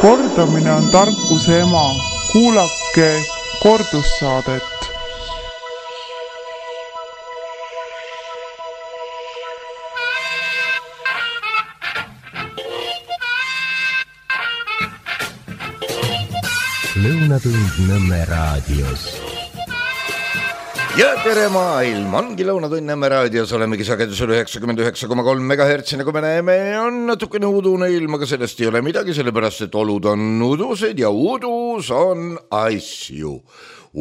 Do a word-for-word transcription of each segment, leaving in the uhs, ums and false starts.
Kordamine on tarkuse ema. Kuulake kordussaadet. Lõunatund Nõmme raadios. Ja tere maailm, ongi Lõunatund Nõmme raadios, olemegi sagedusel üheksakümmend üheksa koma kolm megahertsi, nagu me näeme, on natukene udune ilm, aga sellest ei ole midagi, sellepärast et olud on udused ja udus on asju.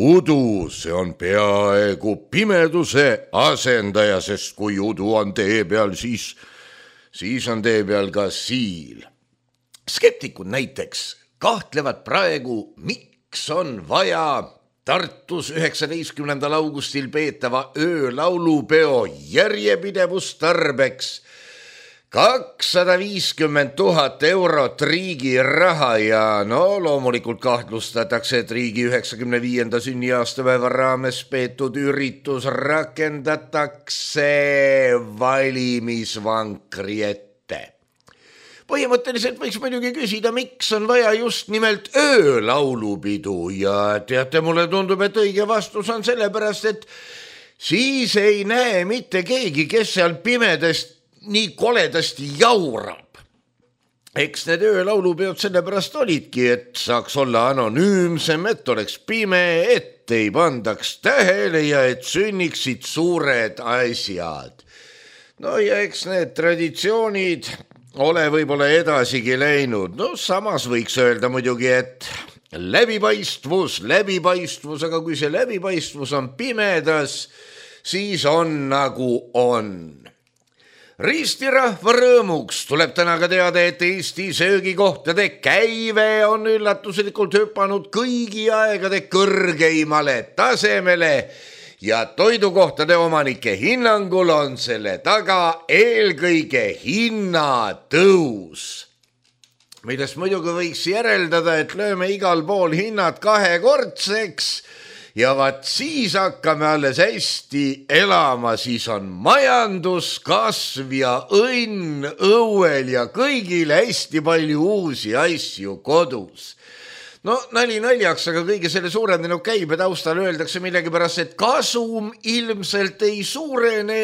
Udus, see on peaaegu pimeduse asendaja, sest kui udu on tee peal, siis, siis on tee peal ka siil. Skeptikud näiteks kahtlevad praegu, miks on vaja Tartus üheksateistkümnendal augustil peetava öölaulupeo järjepidevustarbeks kakssada viiskümmend tuhat eurot riigi raha ja no loomulikult kahtlustatakse, et riigi üheksakümne viienda sünniaastapäeva raames peetud üritus rakendatakse valimisvankri ette. Põhimõtteliselt võiks muidugi küsida, miks on vaja just nimelt öölaulupidu ja teate, mulle tundub, et õige vastus on sellepärast, et siis ei näe mitte keegi, kes seal pimedest nii koledasti jaurab. Eks need öölaulupeod sellepärast olidki, et saaks olla anonüümsem, et oleks pime, et ei pandaks tähele ja et sünniksid suured asjad. No ja eks need traditsioonid ole võib-olla edasigi läinud. No samas võiks öelda muidugi, et läbipaistvus, läbipaistvus, aga kui see läbipaistvus on pimedas, siis on nagu on. Riistirahva rõõmuks tuleb täna ka teada, et Eesti söögikohtade käive on üllatuslikult hüpanud kõigi aegade kõrgeimale tasemele ja toidukohtade omanike hinnangul on selle taga eelkõige hinnatõus. Millest muidugi võiks järeldada, et lööme igal pool hinnad kahekordseks ja vaat siis hakkame alles hästi elama, siis on majanduskasv ja õnn õuel ja kõigile hästi palju uusi asju kodus. No nali naljaks, aga kõige selle suurendanud käibe taustal öeldakse millegipärast, et kasum ilmselt ei suurene.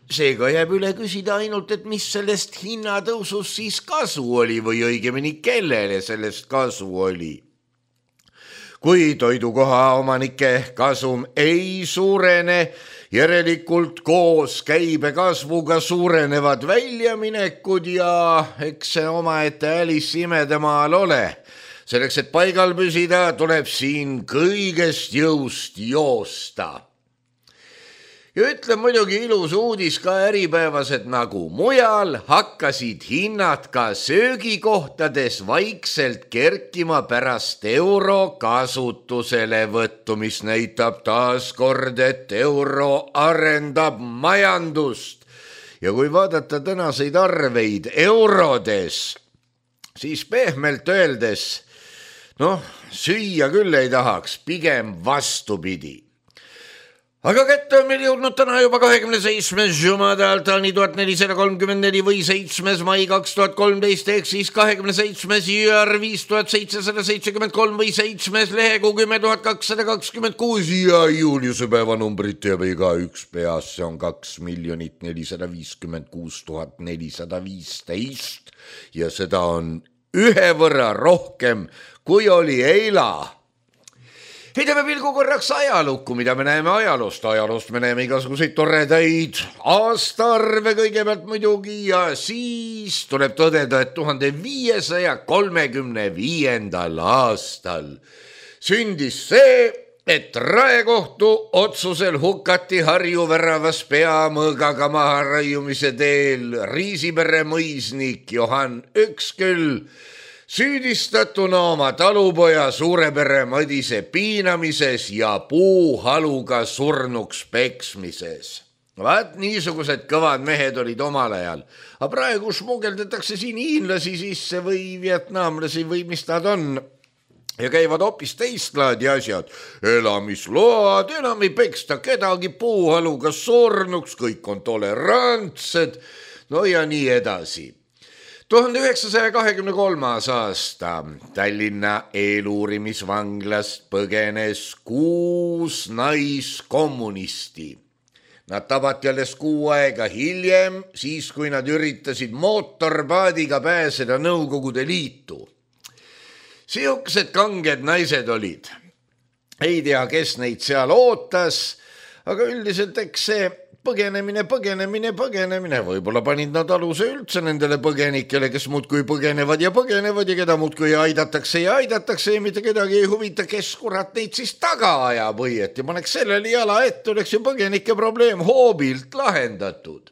Seega jääb üle küsida ainult, et mis sellest hinnatõusust siis kasu oli või õigemini kellele sellest kasu oli. Kui toidukoha omanike kasum ei suurene, järelikult koos käibe kasvuga suurenevad väljaminekud ja eks see omaette Alice imedemaal ole. Selleks, et paigal püsida, tuleb siin kõigest jõust joosta. Ja ütleb muidugi ilus uudis ka Äripäevas, et nagu mujal hakkasid hinnad ka söögikohtades vaikselt kerkima pärast euro kasutusele võttu, mis näitab taas kord, et euro arendab majandust. Ja kui vaadata tänaseid arveid eurodes, siis pehmelt öeldes noh, süüa küll ei tahaks, pigem vastupidi. Aga kätte on meil jõudnud täna juba kahekümne seitsmes jumadal tani tuhat nelisada kolmkümmend neli või seitsmes mai kaks tuhat kolmteist ehk siis kahekümne seitsmes jüär viis tuhat seitsesada seitsekümmend kolm või seitsmes lehekuu kümme tuhat kakssada kakskümmend kuus ja Juliuse päevanumbrit teab iga üks peas, see on kaks miljonit nelisada viiskümmend kuus tuhat nelisada viisteist ja seda on ühe võrra rohkem kui oli eila. Heidame pilgu korraks ajalukku, mida me näeme ajaloost. Ajaloost me näeme igasuguseid toredaid aastaarve kõigepealt muidugi ja siis tuleb tõdeda, et tuhande viiesaja kolmekümne viiendal aastal sündis see, et Raekohtu otsusel hukati Harju väravas peamõõgaga maha raiumise teel Riisipere mõisnik Johan Öksküll, süüdistatuna oma talupoja Suurepere Madise piinamises ja puuhaluga surnuks peksmises. Vaat niisugused kõvad mehed olid omal ajal. Aga praegu smugeldatakse siin hiinlasi sisse või vietnamlasi või mis nad on. Ja käivad hoopis teist laadi asjad. Elamisload, enam ei peksta kedagi, puuhaluga surnuks, kõik on tolerantsed. No ja nii edasi. tuhande üheksasaja kahekümne kolmas aasta Tallinna eeluurimisvanglast põgenes kuus naiskommunisti. Nad tabati alles kuu aega hiljem, siis kui nad üritasid mootorpaadiga pääseda Nõukogude Liitu. Sihukesed kanged naised olid. Ei tea, kes neid seal ootas, aga üldiselt eks see põgenemine, põgenemine, põgenemine. Võib-olla panid nad aluse üldse nendele põgenikele, kes muudkui põgenevad ja põgenevad ja keda muudkui aidatakse ja aidatakse ja mitte kedagi ei huvita, kes kurat neid siis taga ajab õieti. Ma oleks sellele jala ette, oleks ju põgenike probleem hoobilt lahendatud.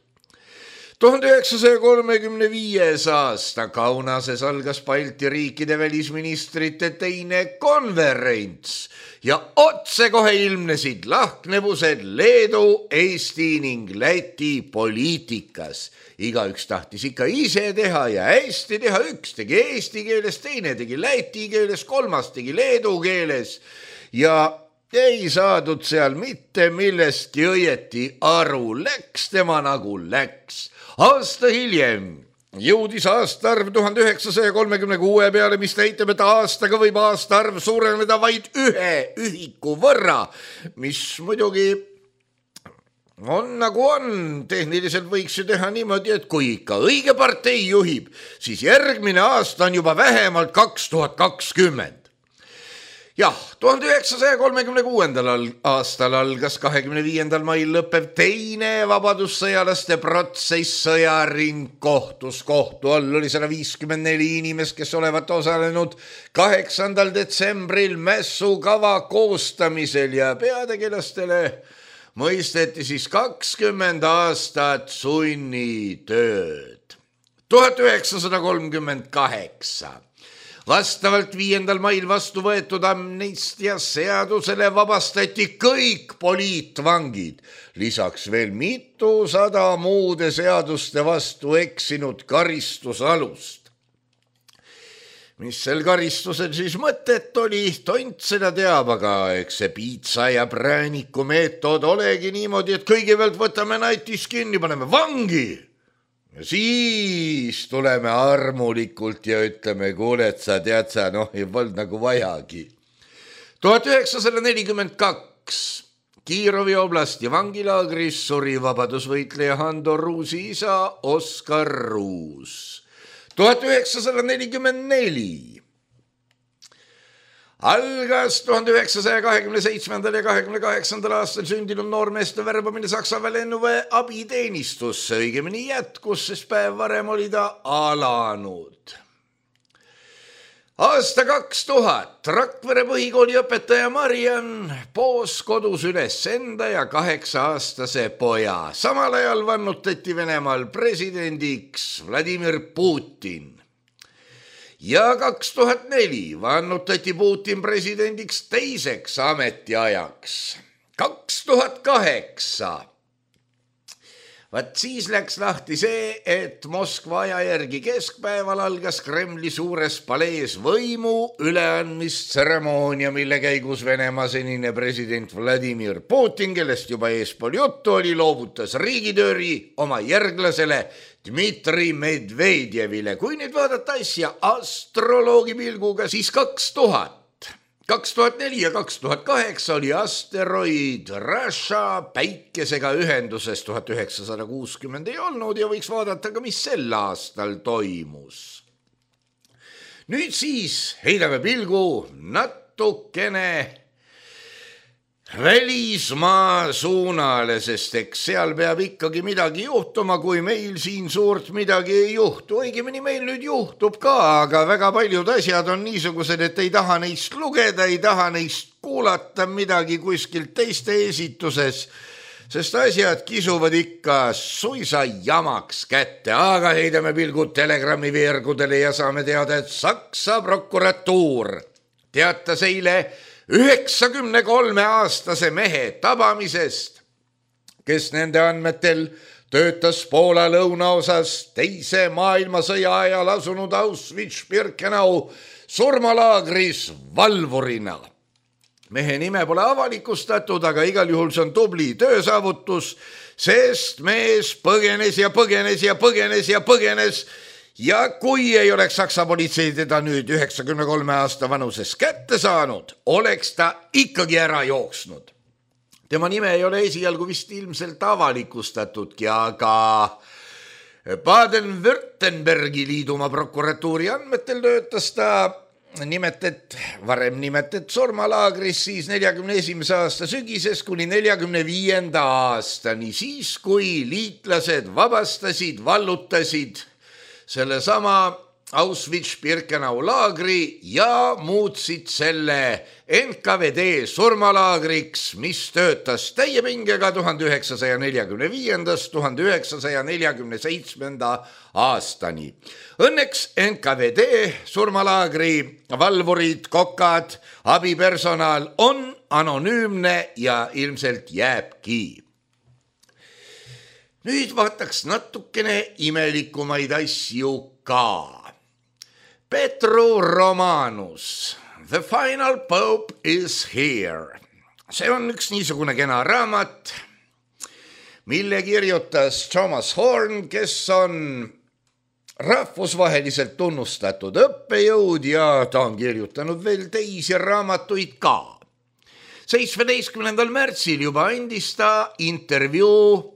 tuhande üheksasaja kolmekümne viies aasta Kaunases algas Balti riikide välisministrite teine konverents ja otsekohe ilmnesid lahknevused Leedu, Eesti ning Läti poliitikas. Igaüks tahtis ikka ise teha ja hästi teha, üks tegi eesti keeles, teine tegi läti keeles, kolmas tegi leedu keeles ja ei saadud seal mitte millestki õieti aru, läks tema nagu läks. Aasta hiljem jõudis aastaarv tuhande üheksasaja kolmekümne kuue peale, mis näitab, et aastaga võib aastaarv suureneda vaid ühe ühiku võrra, mis muidugi on nagu on. Tehniliselt võiks ju teha niimoodi, et kui ikka õige partei juhib, siis järgmine aasta on juba vähemalt kaks tuhat kakskümmend. Jah, tuhande üheksasaja kolmekümne kuuendal aastal algas kahekümne viiendal mail lõppev teine vabadussõjalaste protsess sõjaringkohtus. Kohtu all oli sada viiskümmend neli inimest, kes olevat osalenud kaheksandal detsembril mässukava koostamisel ja peategelastele mõisteti siis kakskümmend aastat sunnitööd. tuhat üheksasada kolmkümmend kaheksa vastavalt viiendal mail vastu võetud amnistia seadusele vabastati kõik poliitvangid, lisaks veel mitusada muude seaduste vastu eksinud karistusalust. Mis sel karistusel siis mõtet oli, tont seda teab, aga eks see piitsa ja prääniku meetod olegi niimoodi, et kõigepealt võtame natis kinni, paneme vangi. Ja siis tuleme armulikult ja ütleme, kuule, et sa tead sa, noh, ei olnud nagu vajagi. tuhat üheksasada nelikümmend kaks Kiirovi oblasti vangilaagris suri vabadusvõitleja Hando Ruusi isa Oskar Ruus. tuhat üheksasada nelikümmend neli algas tuhande üheksasaja kahekümne seitsmendal ja kahekümne kaheksandal aastal sündinud noormeeste värbamine Saksaväe lennuväe abiteenistusse, õigemini jätkus, sest päev varem oli ta alanud. Aasta kaks tuhat Rakvere põhikooli õpetaja Mariann poos kodus üles enda ja kaheksa aastase poja. Samal ajal vannutati Venemaal presidendiks Vladimir Putin. Ja kaks tuhat neli vannutati Putin presidendiks teiseks ametiajaks. kaks tuhat kaheksa Vat siis läks lahti see, et Moskva aja järgi keskpäeval algas Kremli suures palees võimu üleandmistseremoonia, mille käigus Venemaa senine president Vladimir Putin, kellest juba eespool juttu oli, loovutas riigitööri oma järglasele Dmitri Medvedjevile. Kui nüüd vaadata asja astroloogi pilguga, siis kaks tuhat kaks tuhat neli ja kaks tuhat kaheksa oli asteroid Rasha päikesega ühenduses, tuhat üheksasada kuuskümmend ei olnud ja võiks vaadata ka, mis sel aastal toimus. Nüüd siis heidame pilgu natukene välismaa suunale, sest eks seal peab ikkagi midagi juhtuma, kui meil siin suurt midagi ei juhtu. Õigemini meil nüüd juhtub ka, aga väga paljud asjad on niisugused, et ei taha neist lugeda, ei taha neist kuulata midagi kuskilt teiste esituses, sest asjad kisuvad ikka suisa jamaks kätte. Aga heidame pilgud Telegrami veergudele ja saame teada, et Saksa prokuratuur teatas eile üheksakümne kolme aastase mehe tabamisest, kes nende andmetel töötas Poola lõunaosas teise maailmasõja ajal asunud Auschwitz-Birkenau surmalaagris valvurina. Mehe nime pole avalikustatud, aga igal juhul see on tubli töösaavutus, sest mees põgenes ja põgenes ja põgenes ja põgenes ja kui ei oleks Saksa politsei teda nüüd üheksakümne kolme aasta vanuses kätte saanud, oleks ta ikkagi ära jooksnud. Tema nime ei ole esialgu vist ilmselt avalikustatudki, aga Baden-Württembergi liidumaa prokuratuuri andmetel töötas ta nimetet, varem nimetet surmalaagris siis neljakümne esimese aasta sügises kuni neljakümne viienda aastani, siis kui liitlased vabastasid, vallutasid selle sama Auschwitz-Birkenau laagri ja muutsid selle N K V D surmalaagriks, mis töötas täie pingega tuhande üheksasaja neljakümne viiendast tuhande üheksasaja neljakümne seitsmenda aastani. Õnneks N K V D surmalaagri valvurid, kokad, abipersonal on anonüümne ja ilmselt jääbki. Nüüd vaataks natukene imelikumaid asju ka. Petru Romanus, The Final Pope is Here. See on üks niisugune kena raamat, mille kirjutas Thomas Horn, kes on rahvusvaheliselt tunnustatud õppejõud ja ta on kirjutanud veel teisi raamatuid ka. seitsmeteistkümnendal märtsil juba andis ta intervjuu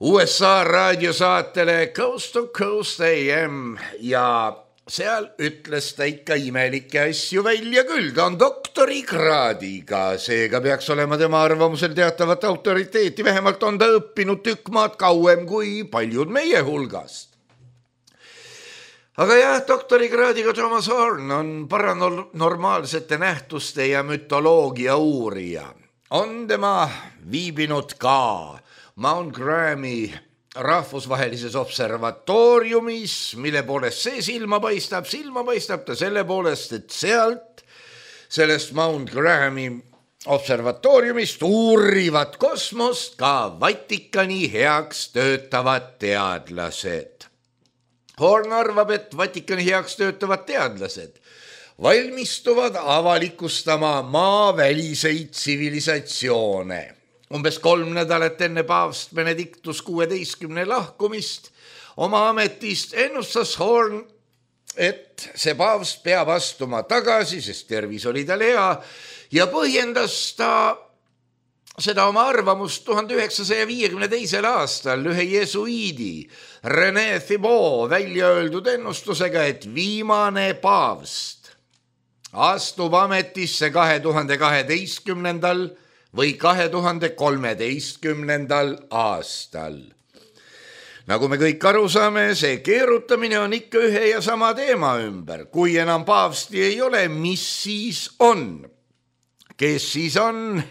U S A raadiosaatele Coast to Coast A M ja seal ütles ta ikka imelikke asju välja küll. Ta on doktorikraadiga, seega peaks olema tema arvamusel teatavat autoriteeti. Vähemalt on ta õppinud tükk maad kauem kui paljud meie hulgast. Aga jah, doktorikraadiga Thomas Horn on paranormaalsete nähtuste ja mütoloogia uurija. On tema viibinud ka Mount Grahami rahvusvahelises observatooriumis, mille poolest see silma paistab, silma paistab ta selle poolest, et sealt, sellest Mount Grahami observatooriumist uurivad kosmost ka Vatikani heaks töötavad teadlased. Horn arvab, et Vatikani heaks töötavad teadlased valmistuvad avalikustama maaväliseid tsivilisatsioone. Umbes kolm nädalat enne paavst Benedictus kuueteistkümne lahkumist oma ametist ennustas Horn, et see paavst peab astuma tagasi, sest tervis oli tal hea ja põhjendas ta seda oma arvamust tuhande üheksasaja viiekümne teisel aastal ühe jesuiidi René Thibault välja öeldud ennustusega, et viimane paavst astub ametisse kahe tuhande kaheteistkümnendal või kahe tuhande kolmeteistkümnendal aastal. Nagu me kõik aru saame, see keerutamine on ikka ühe ja sama teema ümber. Kui enam paavsti ei ole, mis siis on? Kes siis on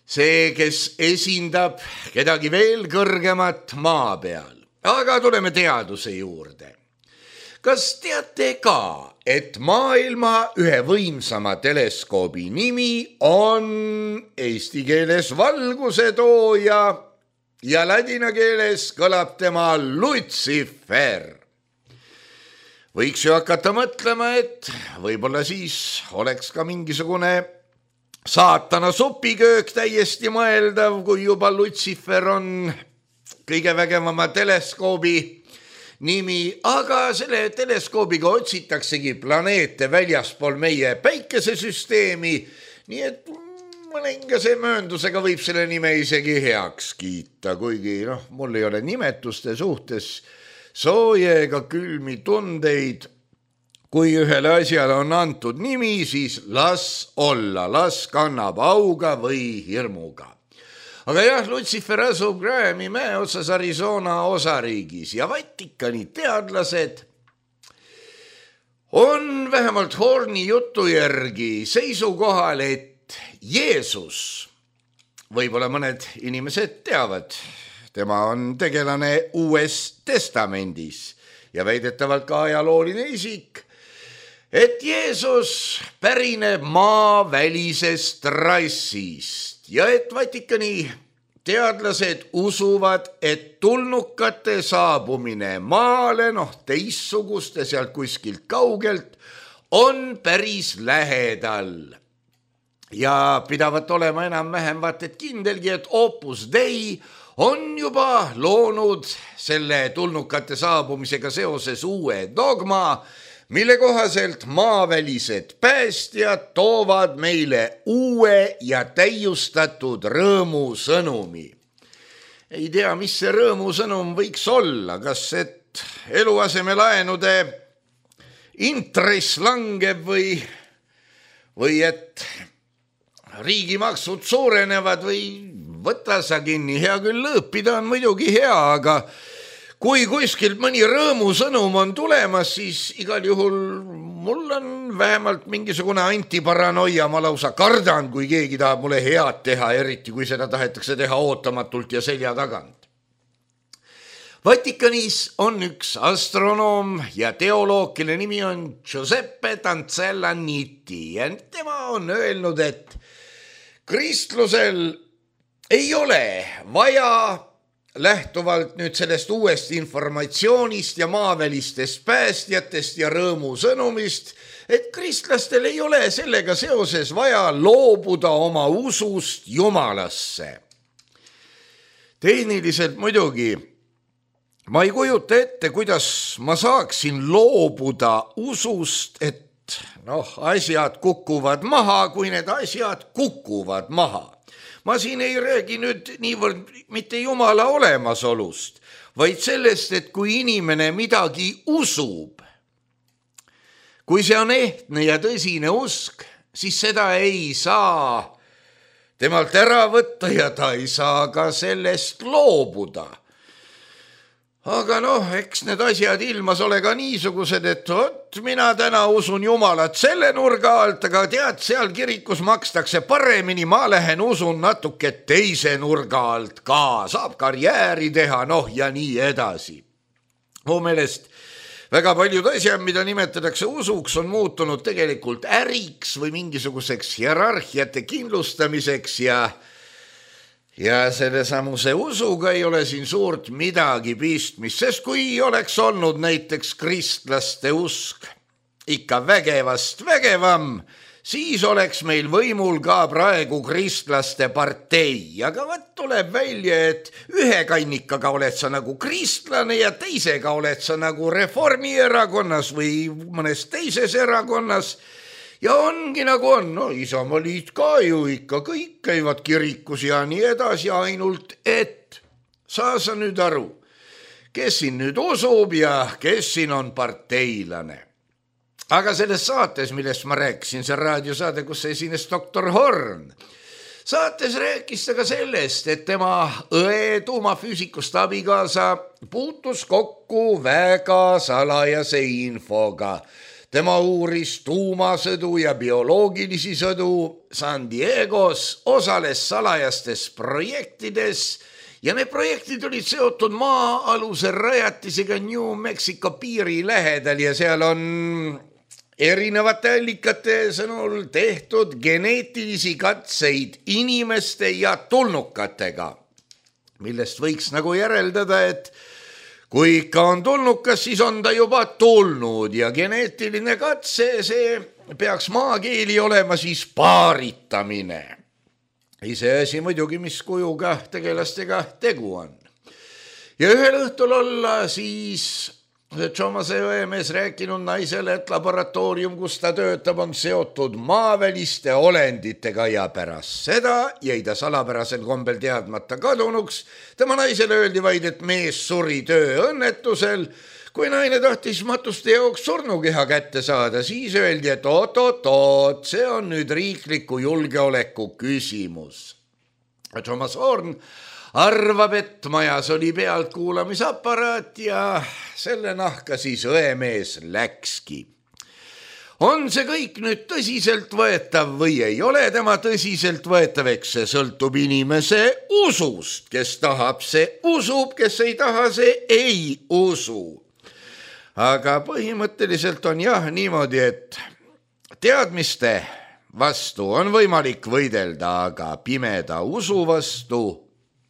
see, kes esindab kedagi veel kõrgemat maa peal? Aga tuleme teaduse juurde. Kas teate ka, et maailma ühe võimsama teleskoobi nimi on eesti keeles valgusetooja ja ladina keeles kõlab tema Lucifer? Võiks ju hakata mõtlema, et võib-olla siis oleks ka mingisugune saatana supiköök täiesti mõeldav, kui juba Lucifer on kõige vägevama teleskoobi nimi, aga selle teleskoobiga otsitaksegi planeete väljaspool meie päikesesüsteemi, nii et mõningase mööndusega võib selle nime isegi heaks kiita, kuigi noh, mul ei ole nimetuste suhtes sooje ega külmi tundeid. Kui ühele asjale on antud nimi, siis las olla, las kannab auga või hirmuga. Aga jah, Lucifer asub Grahami mäe otsas Arizona osariigis ja Vatikani teadlased on vähemalt Horni jutu järgi seisukohal, et Jeesus, võib-olla mõned inimesed teavad, tema on tegelane Uues Testamendis ja väidetavalt ka ajalooline isik, et Jeesus pärineb maavälisest rassist ja et Vatikani teadlased usuvad, et tulnukate saabumine maale, noh teistsuguste sealt kuskilt kaugelt, on päris lähedal. Ja pidavat olema enam-vähem vaat et kindelgi, et Opus Dei on juba loonud selle tulnukate saabumisega seoses uue dogma, mille kohaselt maavälised päästjad toovad meile uue ja täiustatud rõõmusõnumi. Ei tea, mis see rõõmusõnum võiks olla, kas et eluasemelaenude intress langeb või, või et riigimaksud suurenevad või võta sa kinni, hea küll lõõpida on muidugi hea, aga kui kuskilt mõni rõõmusõnum on tulemas, siis igal juhul mul on vähemalt mingisugune antiparanoia, ma lausa kardan, kui keegi tahab mulle head teha, eriti kui seda tahetakse teha ootamatult ja selja tagant. Vatikanis on üks astronoom ja teoloog, kelle nimi on Giuseppe Tanzella-Nitti ja tema on öelnud, et kristlusel ei ole vaja lähtuvalt nüüd sellest uuest informatsioonist ja maavälistest päästjatest ja rõõmusõnumist, et kristlastel ei ole sellega seoses vaja loobuda oma usust Jumalasse. Tehniliselt muidugi ma ei kujuta ette, kuidas ma saaksin loobuda usust, et noh, asjad kukuvad maha, kui need asjad kukuvad maha. Ma siin ei räägi nüüd niivõrd mitte Jumala olemasolust, vaid sellest, et kui inimene midagi usub, kui see on ehtne ja tõsine usk, siis seda ei saa temalt ära võtta ja ta ei saa ka sellest loobuda. Aga noh, eks need asjad ilmas ole ka niisugused, et oot, mina täna usun Jumalat selle nurga alt, aga tead, seal kirikus makstakse paremini, ma lähen usun natuke teise nurga alt ka, saab karjääri teha, noh ja nii edasi. Mu meelest väga paljud asjad, mida nimetatakse usuks, on muutunud tegelikult äriks või mingisuguseks hierarhiate kindlustamiseks ja Ja selle samuse usuga ei ole siin suurt midagi pistmist, sest kui oleks olnud näiteks kristlaste usk ikka vägevast vägevam, siis oleks meil võimul ka praegu kristlaste partei. Aga võt tuleb välja, et ühe kannikaga oled sa nagu kristlane ja teisega oled sa nagu Reformierakonnas või mõnes teises erakonnas. Ja ongi nagu on, no Isamaliit ka ju ikka, kõik käivad kirikus ja nii edasi, ainult et saa sa nüüd aru, kes siin nüüd usub ja kes siin on parteilane. Aga selles saates, millest ma rääkisin, see raadiosaade, kus esines doktor Horn, saates rääkis ta ka sellest, et tema õe tuumafüüsikust abikaasa puutus kokku väga salajase infoga. Tema uuris tuumasõdu ja bioloogilisi sõdu San Diegos, osales salajastes projektides ja need projektid olid seotud maa-aluse rajatisega New Mexico piiri lähedal ja seal on erinevate allikate sõnul tehtud geneetilisi katseid inimeste ja tulnukatega, millest võiks nagu järeldada, et kui ikka on tulnukas, siis on ta juba tulnud ja geneetiline katse, see peaks maakeeli olema siis paaritamine. Ise asi muidugi, mis kujuga tegelastega tegu on. Ja ühel õhtul olla siis Tšomase õemees rääkinud naisele, et laboratoorium, kus ta töötab, on seotud maaväliste olenditega ja pärast seda jäi ta salapärasel kombel teadmata kadunuks. Tema naisele öeldi vaid, et mees suri tööõnnetusel. Kui naine tahtis matuste jaoks surnukeha kätte saada, siis öeldi, et oot-oot-oot, see on nüüd riikliku julgeoleku küsimus. Thomas Horn arvab, et majas oli pealtkuulamisaparaat ja selle nahka siis õemees läkski. On see kõik nüüd tõsiselt võetav või ei ole tema tõsiselt võetav, eks see sõltub inimese usust. Kes tahab, see usub, kes ei taha, see ei usu. Aga põhimõtteliselt on jah niimoodi, et teadmiste vastu on võimalik võidelda, aga pimeda usu vastu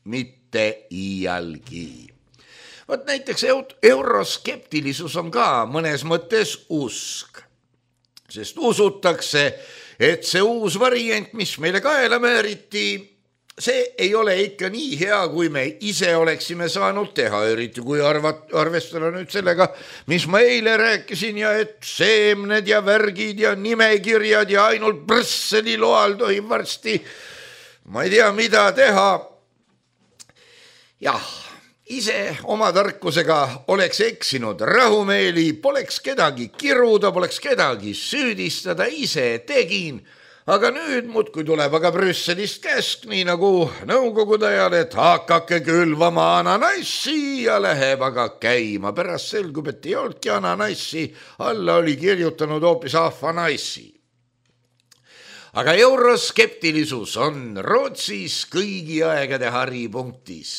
mitte iialgi. Võt näiteks euroskeptilisus on ka mõnes mõttes usk, sest usutakse, et see uus variant, mis meile kaela määriti, see ei ole ikka nii hea, kui me ise oleksime saanud teha, eriti kui arvat, arvestada nüüd sellega, mis ma eile rääkisin ja et seemned ja värgid ja nimekirjad ja ainult Brüsseli loal tohib varsti, ma ei tea, mida teha. Jah, ise oma tarkusega oleks eksinud rahumeeli, poleks kedagi kiruda, poleks kedagi süüdistada, ise tegin. Aga nüüd muudkui tuleb aga Brüsselist käsk, nii nagu nõukogude ajal, et hakake külvama ananassi ja läheb aga käima. Pärast selgub, et ei olnudki ananassi, alla oli kirjutanud hoopis ahvanassi. Aga euroskeptilisus on Rootsis kõigi aegade haripunktis.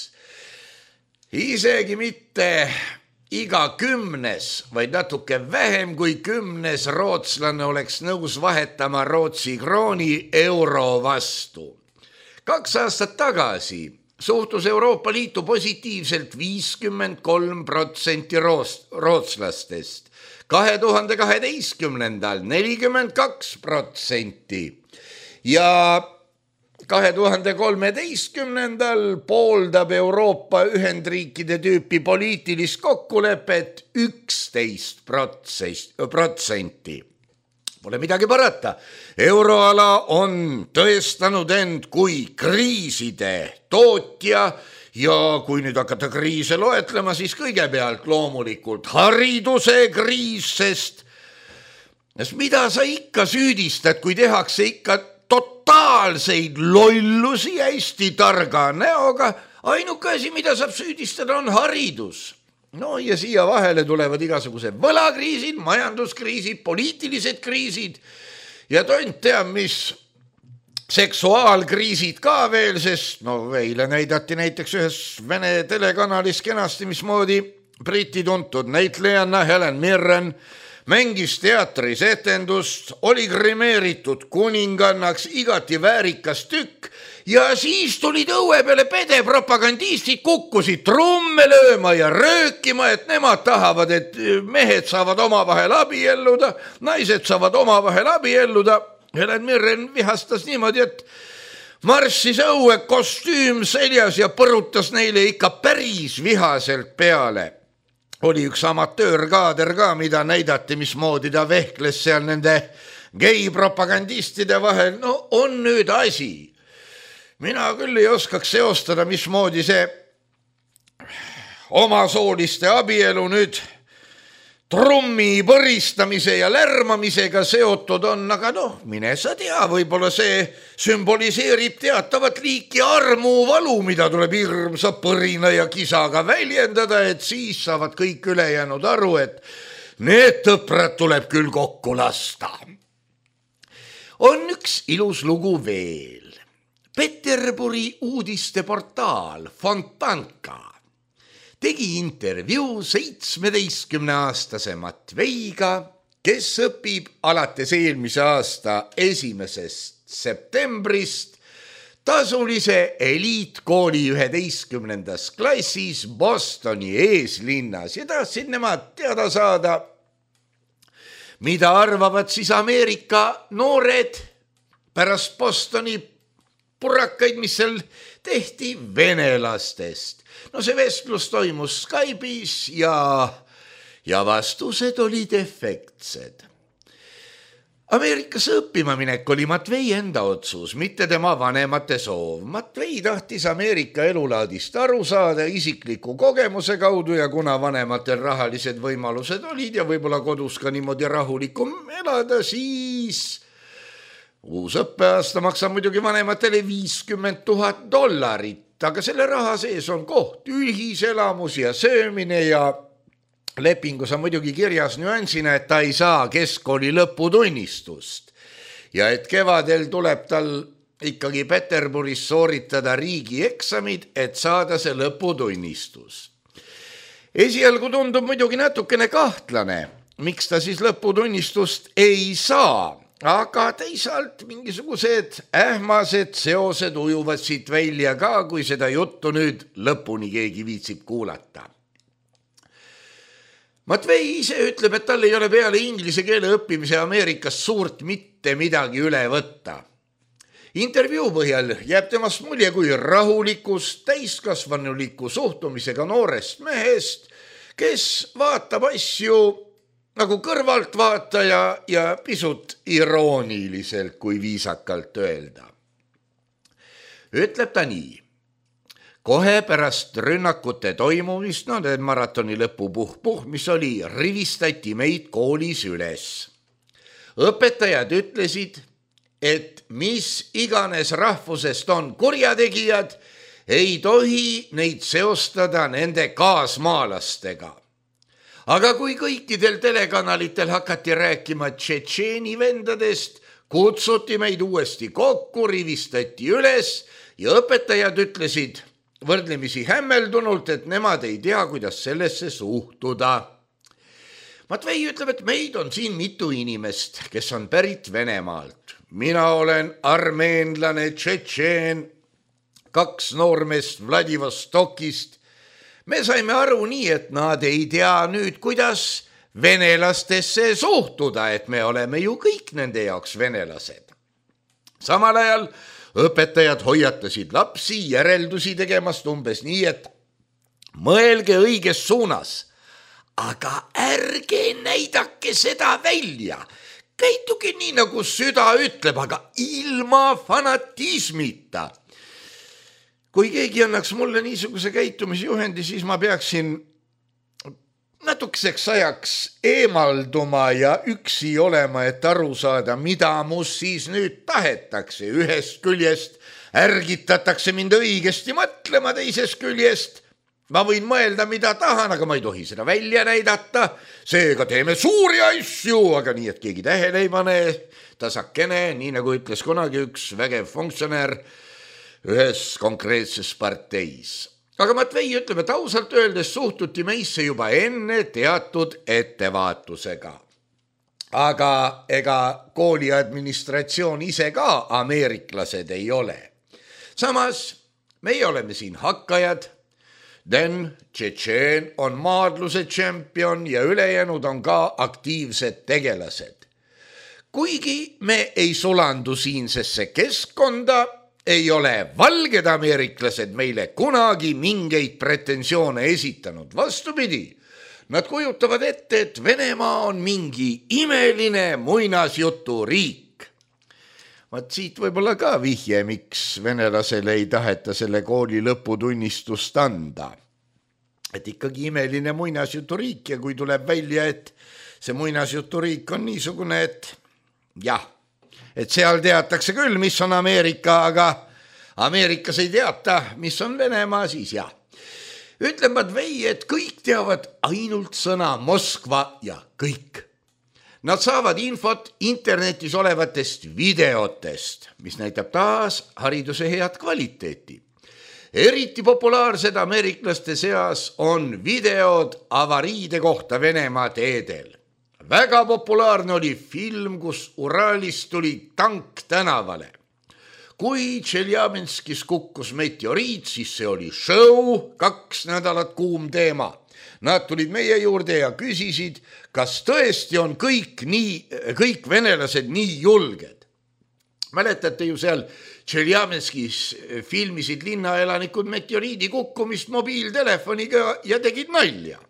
Isegi mitte iga kümnes, vaid natuke vähem kui kümnes rootslane oleks nõus vahetama Rootsi krooni euro vastu. Kaks aastat tagasi suhtus Euroopa Liitu positiivselt viiskümmend kolm protsenti rootslastest, kahe tuhande kaheteistkümnendal nelikümmend kaks protsenti ja kahe tuhande kolmeteistkümnendal pooldab Euroopa Ühendriikide tüüpi poliitilist kokkulepet üksteist protsenti. Pole midagi parata. Euroala on tõestanud end kui kriiside tootja ja kui nüüd hakata kriise loetlema, siis kõigepealt loomulikult hariduse kriis, sest mida sa ikka süüdistad, kui tehakse ikka totaalseid lollusi hästi targa näoga, ainuke asi, mida saab süüdistada, on haridus. No ja siia vahele tulevad igasugused võlakriisid, majanduskriisid, poliitilised kriisid ja tont teab, mis seksuaalkriisid ka veel, sest no eile näidati näiteks ühes Vene telekanalis kenasti, mismoodi Briti tuntud näitlejanna Helen Mirren mängis teatris etendust, oli grimeeritud kuningannaks, igati väärikas tükk ja siis tulid õue peale pedepropagandistid, kukkusid trumme lööma ja röökima, et nemad tahavad, et mehed saavad omavahel abielluda, naised saavad omavahel abielluda. Helen Mirren vihastas niimoodi, et marssis õue kostüüm seljas ja põrutas neile ikka päris vihaselt peale. Oli üks amatöörkaader ka, mida näidati, mismoodi ta vehkles seal nende gei-propagandistide vahel. No on nüüd asi. Mina küll ei oskaks seostada, mismoodi see omasooliste abielu nüüd trummi põristamise ja lärmamisega seotud on, aga noh, mine sa tea, võib-olla see sümboliseerib teatavat liiki armuvalu, mida tuleb hirmsa põrina ja kisaga väljendada, et siis saavad kõik ülejäänud aru, et need tõprad tuleb küll kokku lasta. On üks ilus lugu veel. Peterburi uudisteportaal Fontanka tegi intervjuu seitsmeteistkümneaastase Matveiga, kes õpib alates eelmise aasta esimesest septembrist tasulise eliitkooli üheteistkümnendas klassis Bostoni eeslinnas ja tahtsid nemad teada saada, mida arvavad siis Ameerika noored pärast Bostoni purrakaid, mis seal tehti venelastest. No see vestlus toimus Skype'is ja, ja vastused olid efektsed. Ameerikasse õppima minek oli Matvei enda otsus, mitte tema vanemate soov. Matvei tahtis Ameerika elulaadist aru saada isikliku kogemuse kaudu ja kuna vanematel rahalised võimalused olid ja võib-olla kodus ka niimoodi rahulikum elada, siis uus õppeaasta maksab muidugi vanematele viiskümmend tuhat dollarit, aga selle raha sees on koht, ühiselamus ja söömine ja lepingus on muidugi kirjas nüansina, et ta ei saa keskkooli lõputunnistust ja et kevadel tuleb tal ikkagi Peterburis sooritada riigieksamid, et saada see lõputunnistus. Esialgu tundub muidugi natukene kahtlane, miks ta siis lõputunnistust ei saa. Aga teisalt mingisugused ähmased seosed ujuvad siit välja ka, kui seda juttu nüüd lõpuni keegi viitsib kuulata. Matvei ise ütleb, et tal ei ole peale inglise keele õppimise Ameerikas suurt mitte midagi üle võtta. Intervjuu põhjal jääb temast mulje kui rahulikus, täiskasvanuliku suhtumisega noorest mehest, kes vaatab asju nagu kõrvaltvaataja ja pisut irooniliselt, kui viisakalt öelda. Ütleb ta nii. Kohe pärast rünnakute toimumist, no need maratoni lõpu puh-puh, mis oli, rivistati meid koolis üles. Õpetajad ütlesid, et mis iganes rahvusest on kurjategijad, ei tohi neid seostada nende kaasmaalastega. Aga kui kõikidel telekanalitel hakati rääkima tšetšeeni vendadest, kutsuti meid uuesti kokku, rivistati üles ja õpetajad ütlesid võrdlemisi hämmeldunult, et nemad ei tea, kuidas sellesse suhtuda. Matvei ütleb, et meid on siin mitu inimest, kes on pärit Venemaalt. Mina olen armeenlane, tšetšeen, kaks noormest Vladivostokist. Me saime aru nii, et nad ei tea nüüd, kuidas venelastesse suhtuda, et me oleme ju kõik nende jaoks venelased. Samal ajal õpetajad hoiatasid lapsi järeldusi tegemast umbes nii, et mõelge õiges suunas, aga ärge näidake seda välja. Käituge nii, nagu süda ütleb, aga ilma fanatismita. Kui keegi annaks mulle niisuguse käitumisjuhendi, siis ma peaksin natukeseks ajaks eemalduma ja üksi olema, et aru saada, mida must siis nüüd tahetakse. Ühest küljest ärgitatakse mind õigesti mõtlema, teisest küljest ma võin mõelda, mida tahan, aga ma ei tohi seda välja näidata. Seega teeme suuri asju, aga nii, et keegi tähele ei pane, tasakene, nii nagu ütles kunagi üks vägev funktsionär ühes konkreetses parteis. Aga Matvei ütleb, et ausalt öeldes suhtuti meisse juba enne teatud ettevaatusega. Aga ega kooli administratsioon ise ka ameeriklased ei ole. Samas meie oleme siin hakkajad, Den tšetšeen on maadluse tšempion ja ülejäänud on ka aktiivsed tegelased. Kuigi me ei sulandu siinsesse keskkonda, ei ole valged ameeriklased meile kunagi mingeid pretensioone esitanud. Vastupidi, nad kujutavad ette, et Venemaa on mingi imeline muinasjutu riik. Vaat siit võib-olla ka vihje, miks venelasele ei taheta selle kooli lõputunnistust anda. Et ikkagi imeline muinasjutu riik ja kui tuleb välja, et see muinasjutu riik on niisugune, et jah, et seal teatakse küll, mis on Ameerika, aga Ameerikas ei teata, mis on Venemaa, siis jah. Ütleb Matvei, et kõik teavad ainult sõna Moskva ja kõik. Nad saavad infot internetis olevatest videotest, mis näitab taas hariduse head kvaliteeti. Eriti populaarsed ameeriklaste seas on videod avariide kohta Venemaa teedel. Väga populaarne oli film, kus Uralist tuli tank tänavale. Kui Tšeljaminskis kukkus meteoriit, siis see oli show, kaks nädalat kuum teema. Nad tulid meie juurde ja küsisid, kas tõesti on kõik, nii, kõik venelased nii julged. Mäletate ju seal Tšeljaminskis filmisid linnaelanikud meteoriidi kukkumist mobiiltelefoniga ja tegid nalja.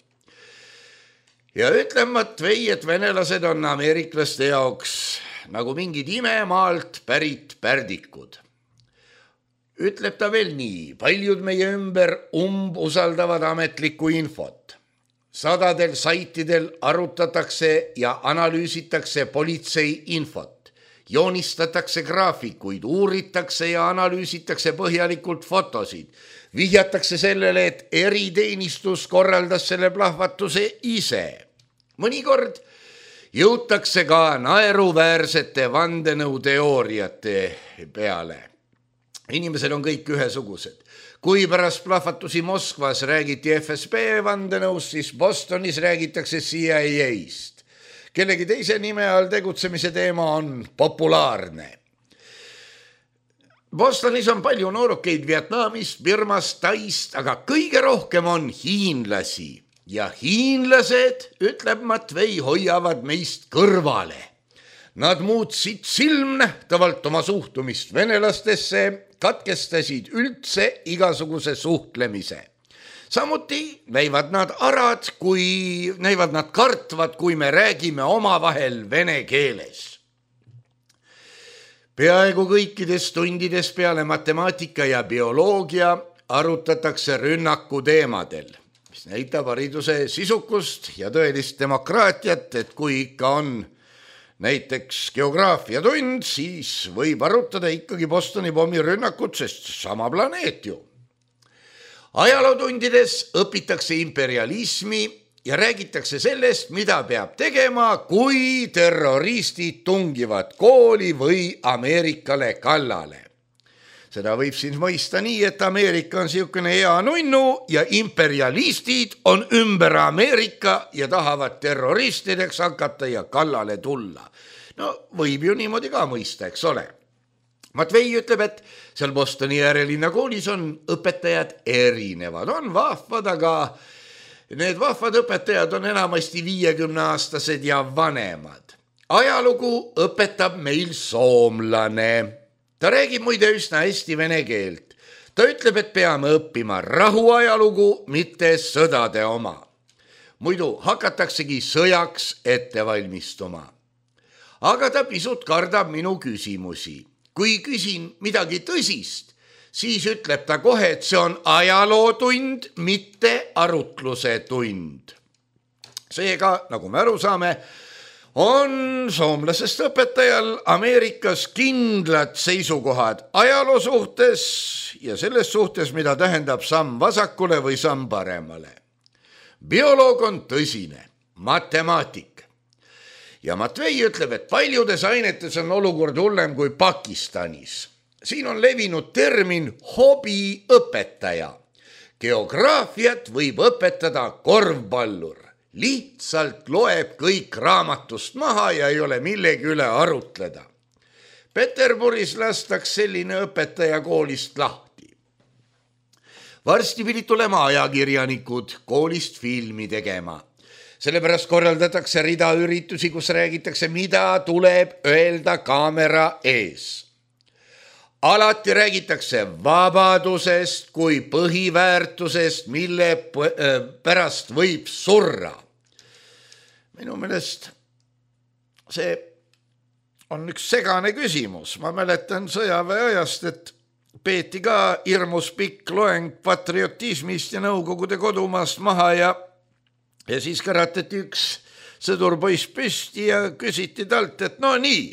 Ja ütlen Matvei, et venelased on ameeriklaste jaoks nagu mingid imemaalt pärit pärdikud. Ütleb ta veel nii, paljud meie ümber umbusaldavad ametlikku infot. Sadadel saitidel arutatakse ja analüüsitakse politsei infot. Joonistatakse graafikuid, uuritakse ja analüüsitakse põhjalikult fotosid. Vihjatakse sellele, et eriteenistus korraldas selle plahvatuse ise. Mõnikord jõutakse ka naeruväärsete vandenõuteooriate peale. Inimesed on kõik ühesugused. Kui pärast plahvatusi Moskvas räägiti F S B vandenõust, siis Bostonis räägitakse C I A-st. Kellegi teise nime all tegutsemise teema on populaarne. Bostonis on palju noorukeid Vietnamist, Birmast, Taist, aga kõige rohkem on hiinlasi. Ja hiinlased, ütleb Matvei, hoiavad meist kõrvale. Nad muutsid silmnähtavalt oma suhtumist venelastesse, katkestasid üldse igasuguse suhtlemise. Samuti näivad nad arad, kui näivad nad kartvad, kui me räägime omavahel vene keeles. Peaaegu kõikides tundides peale matemaatika ja bioloogia arutatakse rünnaku teemadel, mis näitab hariduse sisukust ja tõelist demokraatiat, et kui ikka on näiteks geograafia tund, siis võib arutada ikkagi Bostoni pommirünnakut, sest sama planeet ju. Ajalootundides õpitakse imperialismi ja räägitakse sellest, mida peab tegema, kui terroristid tungivad kooli või Ameerikale kallale. Seda võib siin mõista nii, et Ameerika on siukene hea nunnu ja imperialistid on ümber Ameerika ja tahavad terroristideks hakata ja kallale tulla. No võib ju niimoodi ka mõista, eks ole. Matvei ütleb, et seal Bostoni äärelinna koolis on õpetajad erinevad, on vahvad, aga need vahvad õpetajad on enamasti viiekümneaastased ja vanemad. Ajalugu õpetab meil soomlane. Ta räägib muide üsna hästi vene keelt. Ta ütleb, et peame õppima rahuajalugu, mitte sõdade oma. Muidu hakataksegi sõjaks ette valmistuma. Aga ta pisut kardab minu küsimusi. Kui küsin midagi tõsist, siis ütleb ta kohe, et see on ajalootund, mitte arutluse tund. Seega, nagu me aru saame, on soomlasest õpetajal Ameerikas kindlad seisukohad ajaloo suhtes ja selles suhtes, mida tähendab samm vasakule või samm paremale. Bioloog on tõsine, matemaatik. Ja Matvei ütleb, et paljudes ainetes on olukord hullem kui Pakistanis. Siin on levinud termin hobiõpetaja. Geograafiat võib õpetada korvpallur. Lihtsalt loeb kõik raamatust maha ja ei ole millegi üle arutleda. Peterburis lastaks selline õpetaja koolist lahti. Varsti pidid tulema ajakirjanikud koolist filmi tegema. Sellepärast korraldatakse rida üritusi, kus räägitakse, mida tuleb öelda kaamera ees. Alati räägitakse vabadusest kui põhiväärtusest, mille pärast võib surra. Minu meelest see on üks segane küsimus. Ma mäletan sõjaväe ajast, et peeti ka hirmus pikk loeng patriotismist ja Nõukogude kodumaast maha ja, ja siis karatati üks sõdurpoiss püsti ja küsiti talt, et no nii,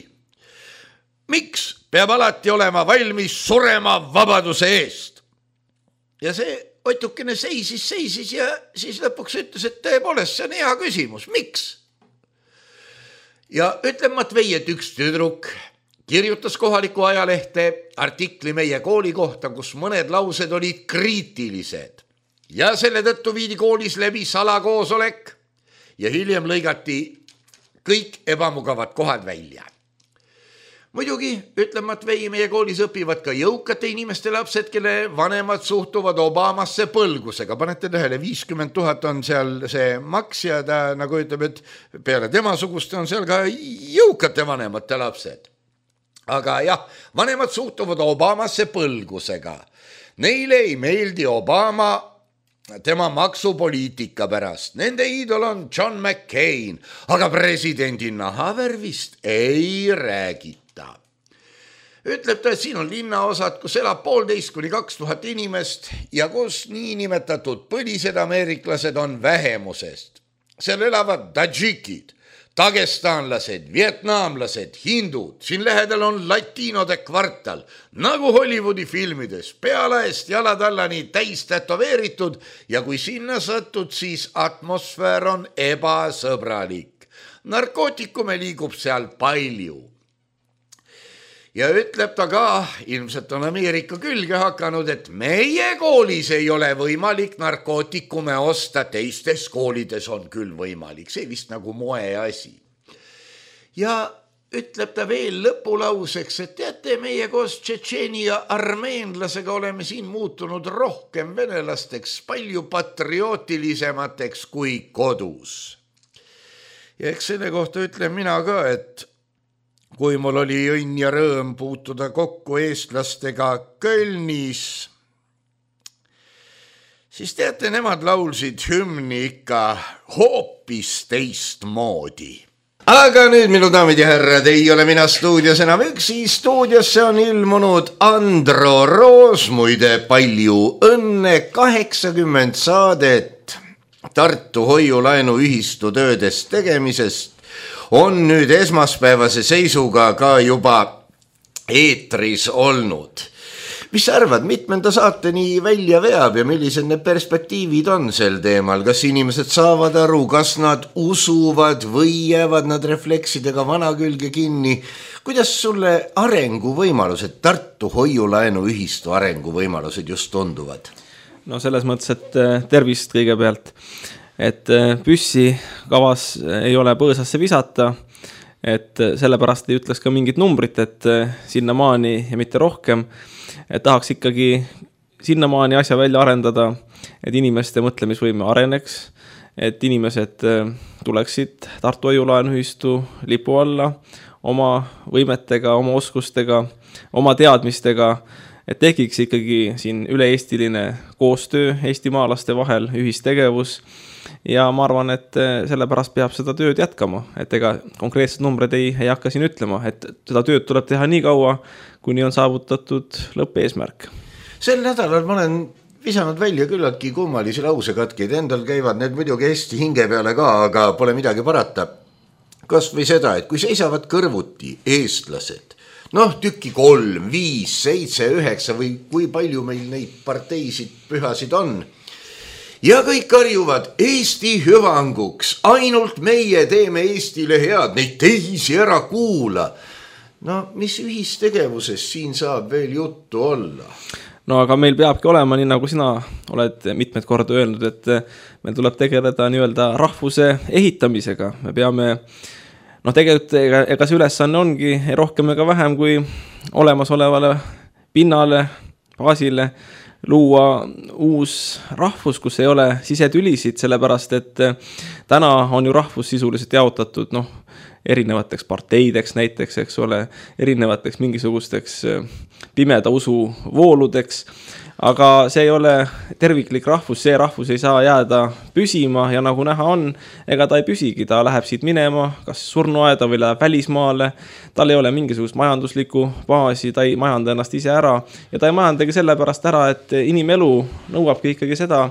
miks peab alati olema valmis surema vabaduse eest? Ja see otukene seisis, seisis ja siis lõpuks ütles, et tõepoolest see on hea küsimus. Miks? Ja ütleb Matvei, et üks tüdruk kirjutas kohaliku ajalehte artikli meie kooli kohta, kus mõned laused olid kriitilised. Ja selle tõttu viidi koolis läbi salakoosolek ja hiljem lõigati kõik ebamugavad kohad välja. Muidugi, ütleb Matvei, meie koolis õpivad ka jõukate inimeste lapsed, kelle vanemad suhtuvad Obamasse põlgusega. Panete tähele, viiskümmend tuhat on seal see maks ja ta nagu ütleb, et peale tema suguste on seal ka jõukate vanemate lapsed. Aga jah, vanemad suhtuvad Obamasse põlgusega. Neile ei meeldi Obama tema maksupoliitika pärast. Nende iidol on John McCain, aga presidendi nahavärvist ei räägita. Ütleb ta, et siin on linnaosad, kus elab poolteist kuni kaks tuhat inimest ja kus niinimetatud põlised ameeriklased on vähemusest. Seal elavad tadžikid, dagestanlased, vietnamlased, hindud, siin lähedal on latiinode kvartal, nagu Hollywoodi filmides, pealaest jalatallani täis tätoveeritud ja kui sinna satud, siis atmosfäär on ebasõbralik. Narkootikume liigub seal palju. Ja ütleb ta ka, ilmselt on Ameerika külge hakanud, et meie koolis ei ole võimalik narkootikume osta, teistes koolides on küll võimalik. See vist nagu moe asi. Ja ütleb ta veel lõpulauseks, et teate, meie koos Tšetšeeni ja armeenlasega oleme siin muutunud rohkem venelasteks, palju patriootilisemateks kui kodus. Ja eks selle kohta ütlen mina ka, et kui mul oli õnn ja rõõm puutuda kokku eestlastega Kölnis, siis teate, nemad laulsid hümni ikka hoopis teistmoodi. Aga nüüd, minu daamid ja härrad, ei ole mina stuudios enam üksi, stuudiosse on ilmunud Andro Roos, muide palju õnne, kaheksakümmend saadet Tartu hoiulaenuühistu töödest tegemisest on nüüd esmaspäevase seisuga ka juba eetris olnud. Mis sa arvad, mitmenda saateni välja veab ja millised need perspektiivid on sel teemal? Kas inimesed saavad aru, kas nad usuvad või jäävad nad refleksidega vana külge kinni? Kuidas sulle arenguvõimalused, Tartu hoiulaenuühistu arenguvõimalused just tunduvad? No selles mõttes, et tervist kõigepealt, et püssi kavas ei ole põõsasse visata, et sellepärast ei ütleks ka mingit numbrit, et sinna maani ja mitte rohkem, et tahaks ikkagi sinnamaani asja välja arendada, et inimeste mõtlemisvõime areneks, et inimesed tuleksid Tartu hoiulaenuühistu lipu alla oma võimetega, oma oskustega, oma teadmistega, et tekiks ikkagi siin üle-eestiline koostöö eestimaalaste vahel, ühistegevus ja ma arvan, et sellepärast peab seda tööd jätkama, et ega konkreetsed numbrid ei, ei hakka siin ütlema, et seda tööd tuleb teha nii kaua, kuni on saavutatud lõppeesmärk. Sel nädalal ma olen visanud välja küllaltki kummalisi lausekatkeid, endal käivad need muidugi hästi hinge peale ka, aga pole midagi parata. Kas või seda, et kui seisavad kõrvuti eestlased, noh tükki kolm, viis, seitse, üheksa või kui palju meil neid parteisid pühasid on, ja kõik karjuvad Eesti hüvanguks, ainult meie teeme Eestile head, neid teisi ära kuula. No mis ühistegevusest siin saab veel juttu olla? No aga meil peabki olema, nii nagu sina oled mitmed korda öelnud, et meil tuleb tegeleda nii-öelda rahvuse ehitamisega. Me peame, noh tegelikult ega, ega see ülesanne ongi rohkem ega vähem kui olemasolevale pinnale, baasile luua uus rahvus, kus ei ole sisetülisid, sellepärast et täna on ju rahvus sisuliselt jaotatud, noh, erinevateks parteideks näiteks, eks ole, erinevateks mingisugusteks pimeda usu vooludeks, aga see ei ole terviklik rahvus, see rahvus ei saa jääda püsima ja nagu näha on, ega ta ei püsigi, ta läheb siit minema, kas surnuaeda või läheb välismaale, tal ei ole mingisugust majanduslikku baasi, ta ei majanda ennast ise ära ja ta ei majandagi sellepärast ära, et inimelu nõuabki ikkagi seda,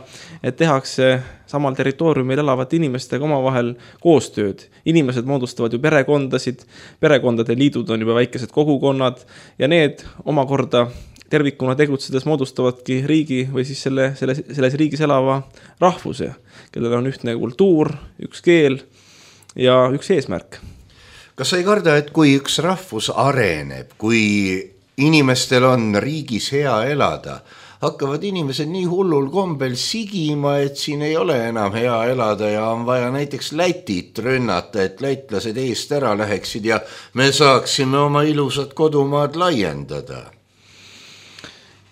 et tehakse samal territooriumil elavate inimestega omavahel koostööd. Inimesed moodustavad ju perekondasid, perekondade liidud on juba väikesed kogukonnad ja need omakorda tervikuna tegutsedes moodustavadki riigi või siis selle, selle, selles riigis elava rahvuse, kellel on ühtne kultuur, üks keel ja üks eesmärk. Kas sa ei karda, et kui üks rahvus areneb, kui inimestel on riigis hea elada, hakkavad inimesed nii hullul kombel sigima, et siin ei ole enam hea elada ja on vaja näiteks Lätit rünnata, et lätlased eest ära läheksid ja me saaksime oma ilusat kodumaad laiendada?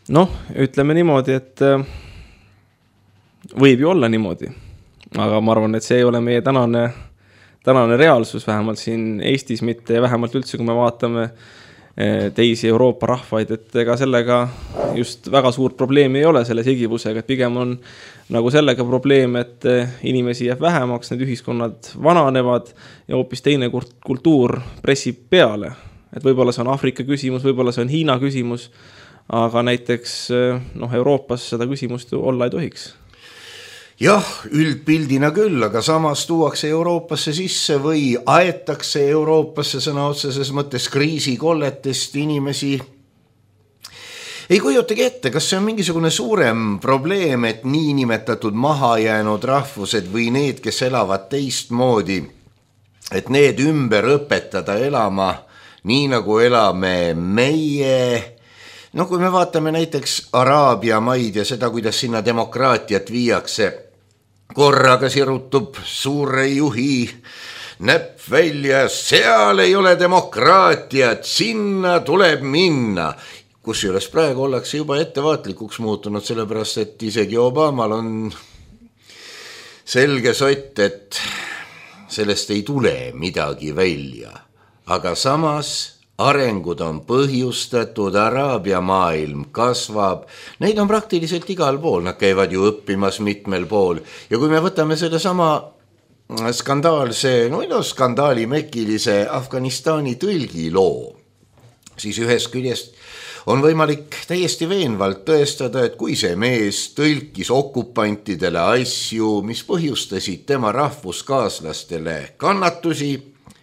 Noh, ütleme niimoodi, et võib ju olla niimoodi, aga ma arvan, et see ei ole meie tänane, tänane reaalsus, vähemalt siin Eestis mitte ja vähemalt üldse, kui me vaatame teisi Euroopa rahvaid, et ega sellega just väga suurt probleemi ei ole selle sigivusega, et pigem on nagu sellega probleem, et inimesi jääb vähemaks, need ühiskonnad vananevad ja hoopis teine kultuur pressib peale. Et võib-olla see on Afrika küsimus, võib-olla see on Hiina küsimus, aga näiteks noh, Euroopas seda küsimust olla ei tohiks. Jah, üldpildina küll, aga samas tuuakse Euroopasse sisse või aetakse Euroopasse sõna otseses mõttes kriisikolletest inimesi. Ei kujutagi ette, kas see on mingisugune suurem probleem, et niinimetatud mahajäänud rahvused või need, kes elavad teistmoodi, et need ümber õpetada elama nii nagu elame meie. No kui me vaatame näiteks Araabia maid ja seda, kuidas sinna demokraatiat viiakse, korraga sirutub suure juhi näpp välja, seal ei ole demokraatiat, sinna tuleb minna. Kusjuures praegu ollakse juba ettevaatlikuks muutunud, sellepärast et isegi Obamal on selge sott, et sellest ei tule midagi välja. aga samas arengud on põhjustatud, Araabia maailm kasvab, neid on praktiliselt igal pool, nad käivad ju õppimas mitmel pool ja kui me võtame selle sama skandaalse, no, no skandaali mekilise Afganistani tõlgi loo, siis ühest küljest on võimalik täiesti veenvalt tõestada, et kui see mees tõlkis okupantidele asju, mis põhjustasid tema rahvuskaaslastele kannatusi,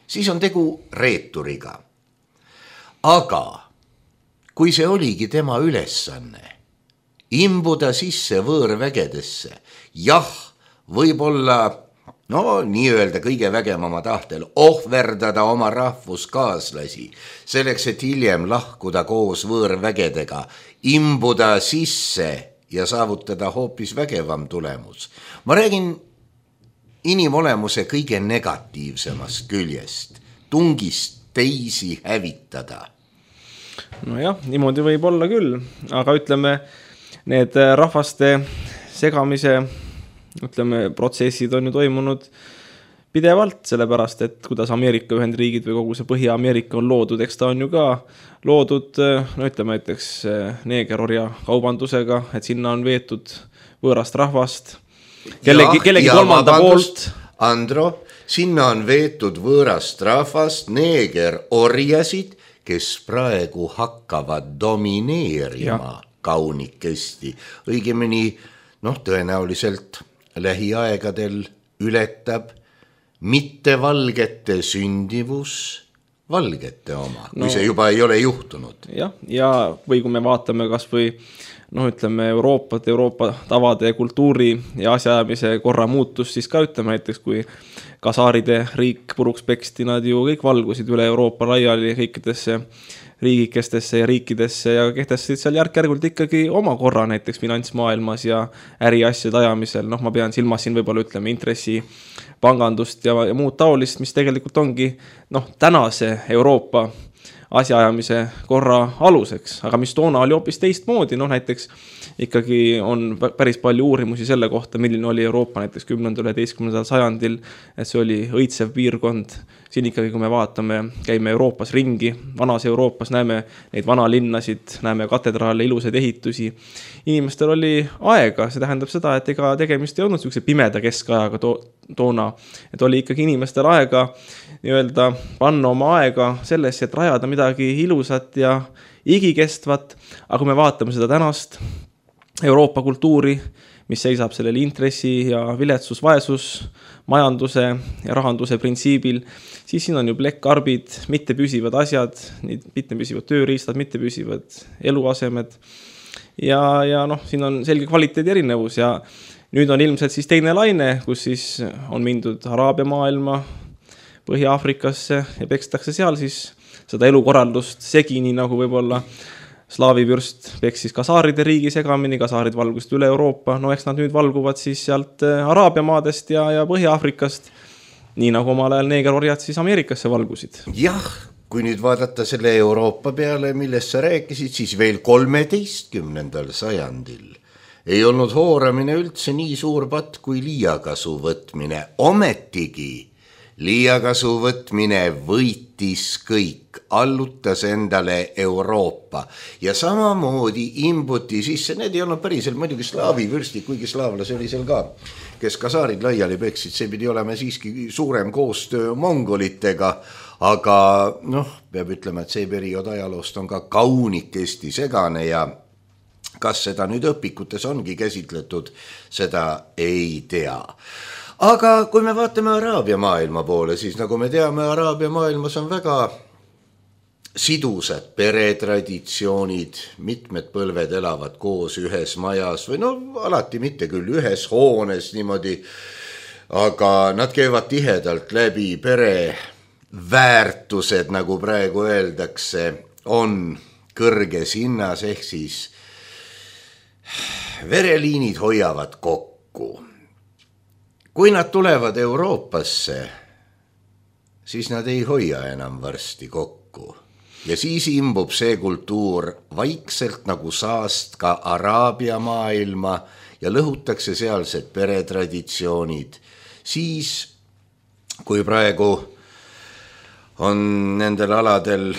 siis on tegu reeturiga. Aga kui see oligi tema ülesanne, imbuda sisse võõrvägedesse, jah, võib-olla no nii-öelda kõige vägemama tahtel ohverdada oma rahvuskaaslasi, selleks, et hiljem lahkuda koos võõrvägedega, imbuda sisse ja saavutada hoopis vägevam tulemus. Ma räägin inimolemuse kõige negatiivsemast küljest, tungist teisi hävitada. Nojah, niimoodi võib olla küll, aga ütleme, need rahvaste segamise ütleme, protsessid on ju toimunud pidevalt, sellepärast, et kuidas Ameerika Ühendriigid või kogu see Põhja-Ameerika on loodud, eks ta on ju ka loodud, no ütleme näiteks neegerorja kaubandusega, et sinna on veetud võõrast rahvast, kellegi, kellegi kolmanda poolt. Andro, sinna on veetud võõrast rahvast, neegerorjasid, kes praegu hakkavad domineerima ja. Kaunikesti. Õigemini, noh, tõenäoliselt lähiaegadel ületab mitte valgete sündivus valgete oma, kui no, see juba ei ole juhtunud. Jah, ja või kui me vaatame kas või noh, ütleme Euroopat, Euroopa tavade, kultuuri ja asjaajamise korra muutus, siis ka ütleme näiteks, kui kasaaride riik puruks peksti, nad ju kõik valgusid üle Euroopa laiali kõikidesse riigikestesse ja riikidesse ja kehtestasid seal järk-järgult ikkagi oma korra näiteks finantsmaailmas ja äriasjade ajamisel. Noh, ma pean silmas siin võib-olla ütleme intressi pangandust ja, ja muud taolist, mis tegelikult ongi noh, tänase Euroopa asjaajamise korra aluseks, aga mis toona oli hoopis teistmoodi, noh näiteks ikkagi on päris palju uurimusi selle kohta, milline oli Euroopa näiteks kümnendal üheteistkümnendal sajandil, et see oli õitsev piirkond. Siin ikkagi, kui me vaatame, käime Euroopas ringi, vanas Euroopas näeme neid vanalinnasid, näeme katedraale, ilusaid ehitusi. Inimestel oli aega, see tähendab seda, et ega tegemist ei olnud niisuguse pimeda keskajaga to- toona, et oli ikkagi inimestel aega nii-öelda panna oma aega sellesse, et rajada midagi ilusat ja igikestvat, aga kui me vaatame seda tänast Euroopa kultuuri, mis seisab sellel intressi ja viletsus, vaesus, majanduse ja rahanduse printsiibil, siis siin on ju plekkarbid, mittepüsivad asjad, mittepüsivad tööriistad, mittepüsivad eluasemed ja, ja noh, siin on selge kvaliteedi erinevus ja nüüd on ilmselt siis teine laine, kus siis on mindud Araabia maailma, Põhja-Afrikasse ja pekstakse seal siis seda elukorraldust segini, nagu võib-olla slaavi vürst peksis kasaaride riigi segamini, kasaarid valgust üle Euroopa, no eks nad nüüd valguvad siis sealt Araabia maadest ja, ja Põhja-Afrikast, nii nagu omal ajal neegerorjad siis Ameerikasse valgusid. Jah, kui nüüd vaadata selle Euroopa peale, millest sa rääkisid, siis veel kolmeteistkümnendal sajandil ei olnud hooramine üldse nii suur patt kui liiakasu võtmine, ometigi liiakasu võtmine võitis kõik, allutas endale Euroopa ja samamoodi imbuti sisse, need ei olnud päriselt muidugi slaavi vürstid, kuigi slaavlasi oli seal ka, kes kasaarid laiali peksid, see pidi olema siiski suurem koostöö mongolitega, aga noh, peab ütlema, et see periood ajaloost on ka kaunikesti segane ja kas seda nüüd õpikutes ongi käsitletud, seda ei tea. Aga kui me vaatame Araabia maailma poole, siis nagu me teame, Araabia maailmas on väga sidusad peretraditsioonid, mitmed põlved elavad koos ühes majas või no alati mitte küll ühes hoones niimoodi, aga nad käivad tihedalt läbi, pere väärtused, nagu praegu öeldakse, on kõrges hinnas, ehk siis vereliinid hoiavad kokku. Kui nad tulevad Euroopasse, siis nad ei hoia enam varsti kokku. Ja siis imbub see kultuur vaikselt nagu saast ka Araabia maailma ja lõhutakse sealsed peretraditsioonid. Siis, kui praegu on nendel aladel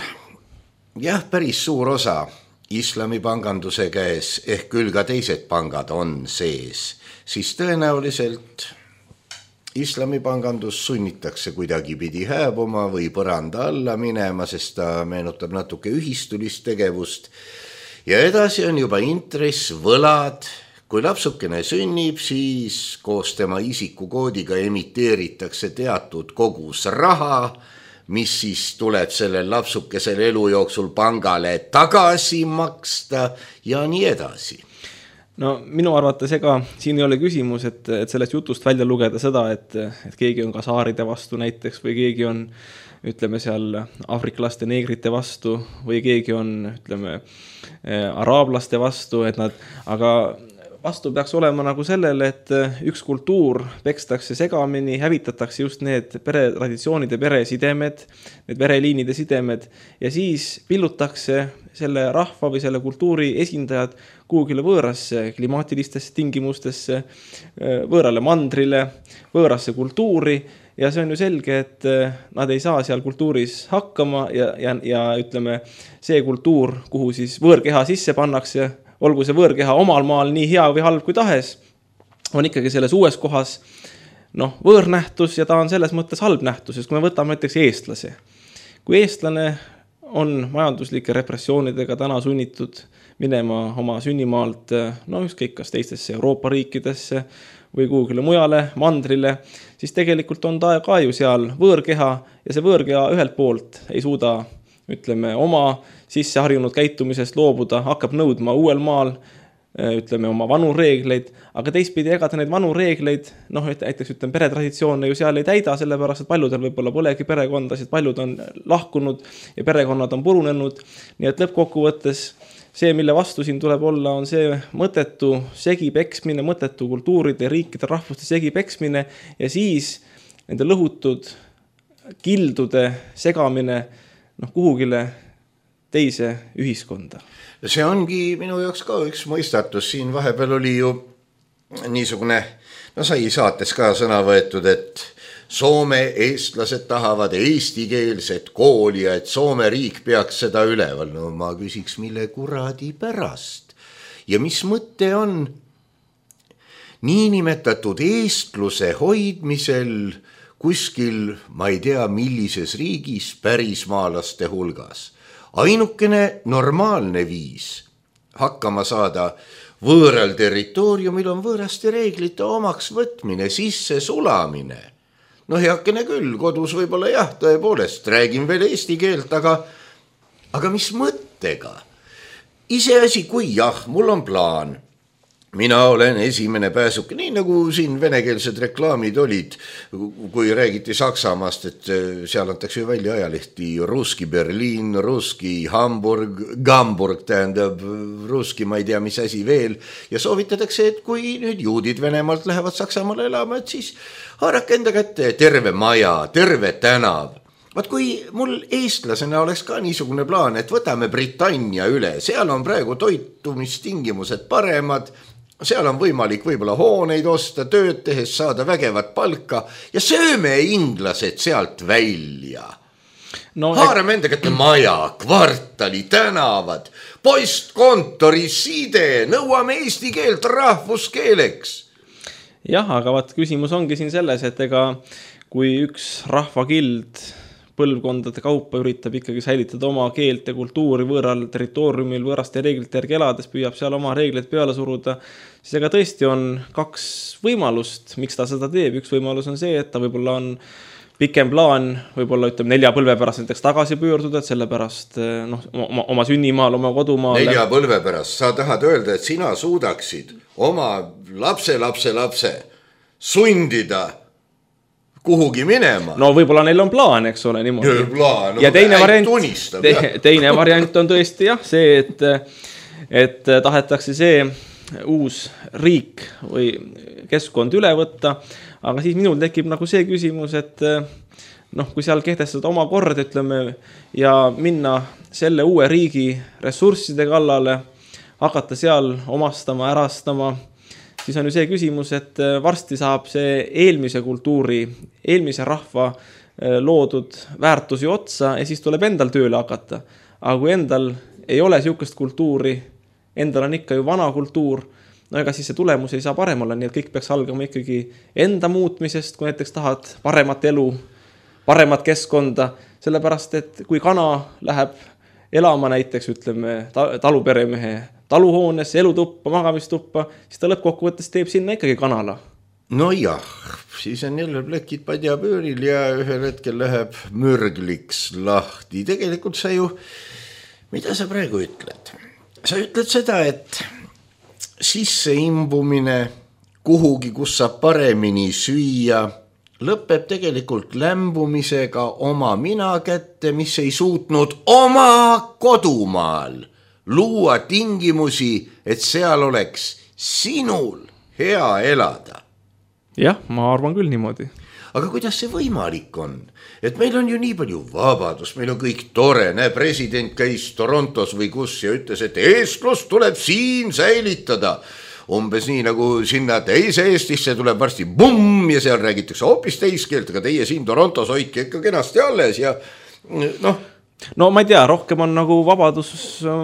jah, päris suur osa islamipanganduse käes, ehk küll ka teised pangad on sees, siis tõenäoliselt islamipangandus sunnitakse kuidagipidi hääbuma või põranda alla minema, sest ta meenutab natuke ühistulist tegevust. Ja edasi on juba intress, võlad. Kui lapsukene sünnib, siis koos tema isikukoodiga emiteeritakse teatud kogus raha, mis siis tuleb sellel lapsukesel elu jooksul pangale tagasi maksta ja nii edasi. No minu arvates ega siin ei ole küsimus, et, et sellest jutust välja lugeda seda, et, et keegi on ka saaride vastu näiteks või keegi on, ütleme seal, afriklaste neegrite vastu või keegi on, ütleme, araablaste vastu, et nad, aga vastu peaks olema nagu sellele, et üks kultuur pekstakse segamini, hävitatakse just need peretraditsioonid ja peresidemed, need vereliinide sidemed ja siis pillutakse selle rahva või selle kultuuri esindajad kuhugile võõrasse klimaatilistesse tingimustesse, võõrale mandrile, võõrasse kultuuri ja see on ju selge, et nad ei saa seal kultuuris hakkama ja, ja, ja ütleme, see kultuur, kuhu siis võõrkeha sisse pannakse, olgu see võõrkeha omal maal nii hea või halb kui tahes, on ikkagi selles uues kohas noh, võõrnähtus ja ta on selles mõttes halb nähtus, sest kui me võtame näiteks eestlase. Kui eestlane on majanduslike repressioonidega täna sunnitud minema oma sünnimaalt, no ükskõik kas teistesse Euroopa riikidesse või kuhugile mujale, mandrile, siis tegelikult on ta ka ju seal võõrkeha ja see võõrkeha ühelt poolt ei suuda, ütleme, oma sisse harjunud käitumisest loobuda, hakkab nõudma uuel maal, ütleme, oma vanu reegleid, aga teistpidi ega ta neid vanu reegleid, noh, näiteks ütleme, peretraditsioone ju seal ei täida, sellepärast, et paljudel võib-olla polegi perekondasid, paljud on lahkunud ja perekonnad on purunenud, nii et lõppkokkuvõttes see, mille vastu siin tuleb olla, on see mõttetu segipeksmine, mõttetu kultuuride, riikide, rahvuste segipeksmine ja siis nende lõhutud kildude segamine noh, kuhugile teise ühiskonda. See ongi minu jaoks ka üks mõistatus. Siin vahepeal oli ju niisugune, no sai saates ka sõna võetud, et Soome eestlased tahavad eestikeelset kooli ja et Soome riik peaks seda üleval. No ma küsiks, mille kuradi pärast. Ja mis mõte on niinimetatud eestluse hoidmisel kuskil, ma ei tea, millises riigis pärismaalaste hulgas. Ainukene normaalne viis hakkama saada võõral territooriumil on võõraste reeglite omaks võtmine, sisse sulamine. No heakene küll, kodus võib-olla jah, tõepoolest, räägin veel eesti keelt, aga, aga mis mõttega? Iseasi, kui jah, mul on plaan. Mina olen esimene pääsuke, nii nagu siin venekeelsed reklaamid olid, kui räägiti Saksamaast, et seal antakse ju välja ajalehti Ruski Berliin, Ruski Hamburg, Gamburg tähendab Ruski, ma ei tea, mis asi veel. Ja soovitatakse, et kui nüüd juudid Venemaalt lähevad Saksamaale elama, et siis haarake enda kätte terve maja, terve tänav. Vaat kui mul eestlasena oleks ka niisugune plaan, et võtame Britannia üle, seal on praegu toitumistingimused paremad, seal on võimalik võib-olla hooneid osta, tööd tehes saada vägevat palka ja sööme inglased sealt välja. No, haarame enda kätte maja, kvartali, tänavad, postkontori side, nõuame eesti keelt rahvuskeeleks. Jah, aga vaat küsimus ongi siin selles, et ega kui üks rahvakild põlvkondade kaupa üritab ikkagi säilitada oma keelt ja kultuuri võõral territooriumil võõraste reeglite järgi elades, püüab seal oma reegleid peale suruda, siis ega tõesti on kaks võimalust, miks ta seda teeb. Üks võimalus on see, et ta võib-olla on pikem plaan, võib-olla ütleme nelja põlve pärast näiteks tagasi pöörduda, et sellepärast no, oma, oma sünnimaal, oma kodumaal. Nelja põlve pärast, sa tahad öelda, et sina suudaksid oma lapse, lapse, lapse sundida kuhugi minema. No võib-olla neil on plaan, eks ole, niimoodi. Plaan, no, ja teine variant, tunistab, te, teine variant on tõesti jah, see, et, et tahetakse see uus riik või keskkond üle võtta, aga siis minul tekib nagu see küsimus, et noh, kui seal kehtestada oma kord, ütleme, ja minna selle uue riigi ressursside kallale, hakata seal omastama, ärastama, siis on ju see küsimus, et varsti saab see eelmise kultuuri, eelmise rahva loodud väärtusi otsa ja siis tuleb endal tööle hakata. Aga kui endal ei ole siukest kultuuri, endal on ikka ju vana kultuur, no ega siis see tulemus ei saa parem olla, nii et kõik peaks algama ikkagi enda muutmisest, kui näiteks tahad paremat elu, paremat keskkonda, sellepärast, et kui kana läheb elama näiteks, ütleme, taluperemehe taluhoones, elutuppa, magamistuppa, siis ta lõppkokkuvõttes teeb sinna ikkagi kanala. No jah, siis on jälle plekid padjapööril ja ühel hetkel läheb mürgliks lahti. Tegelikult sa ju, mida sa praegu ütled? Sa ütled seda, et sisse imbumine kuhugi, kus saab paremini süüa, lõpeb tegelikult lämbumisega oma mina kätte, mis ei suutnud oma kodumaal luua tingimusi, et seal oleks sinul hea elada. Jah, ma arvan küll niimoodi. Aga kuidas see võimalik on? Et meil on ju nii palju vabadust, meil on kõik tore, näe, president käis Torontos või kus ja ütles, et eestlus tuleb siin säilitada. Umbes nii nagu sinna teise Eestisse tuleb varsti bumm ja seal räägitakse hoopis teiskeelt, aga teie siin Torontos hoidke ikka kenasti alles ja noh. No ma ei tea, rohkem on nagu vabadus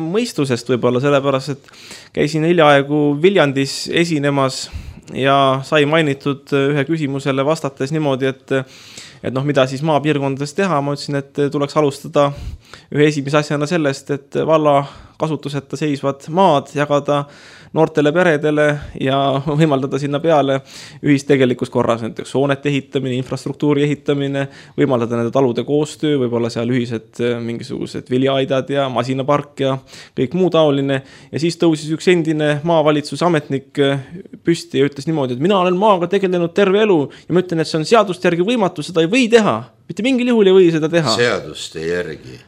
mõistusest võib-olla, sellepärast, et käisin hiljaaegu Viljandis esinemas ja sai mainitud ühe küsimusele vastates niimoodi, et, et noh, mida siis maapiirkondades teha, ma ütlesin, et tuleks alustada ühe esimese asjana sellest, et valla kasutuseta seisvad maad jagada noortele peredele ja võimaldada sinna peale ühist tegelikus korras, näiteks hoonete ehitamine, infrastruktuuri ehitamine, võimaldada nende talude koostöö, võib-olla seal ühised mingisugused viljaidad ja masinapark ja kõik muu taoline. Ja siis tõusis üks endine maavalitsuse ametnik püsti ja ütles niimoodi, et mina olen maaga tegelenud terve elu ja ma ütlen, et see on seaduste järgi võimatu, seda ei või teha. Mitte mingil juhul ei või seda teha. Seaduste järgi.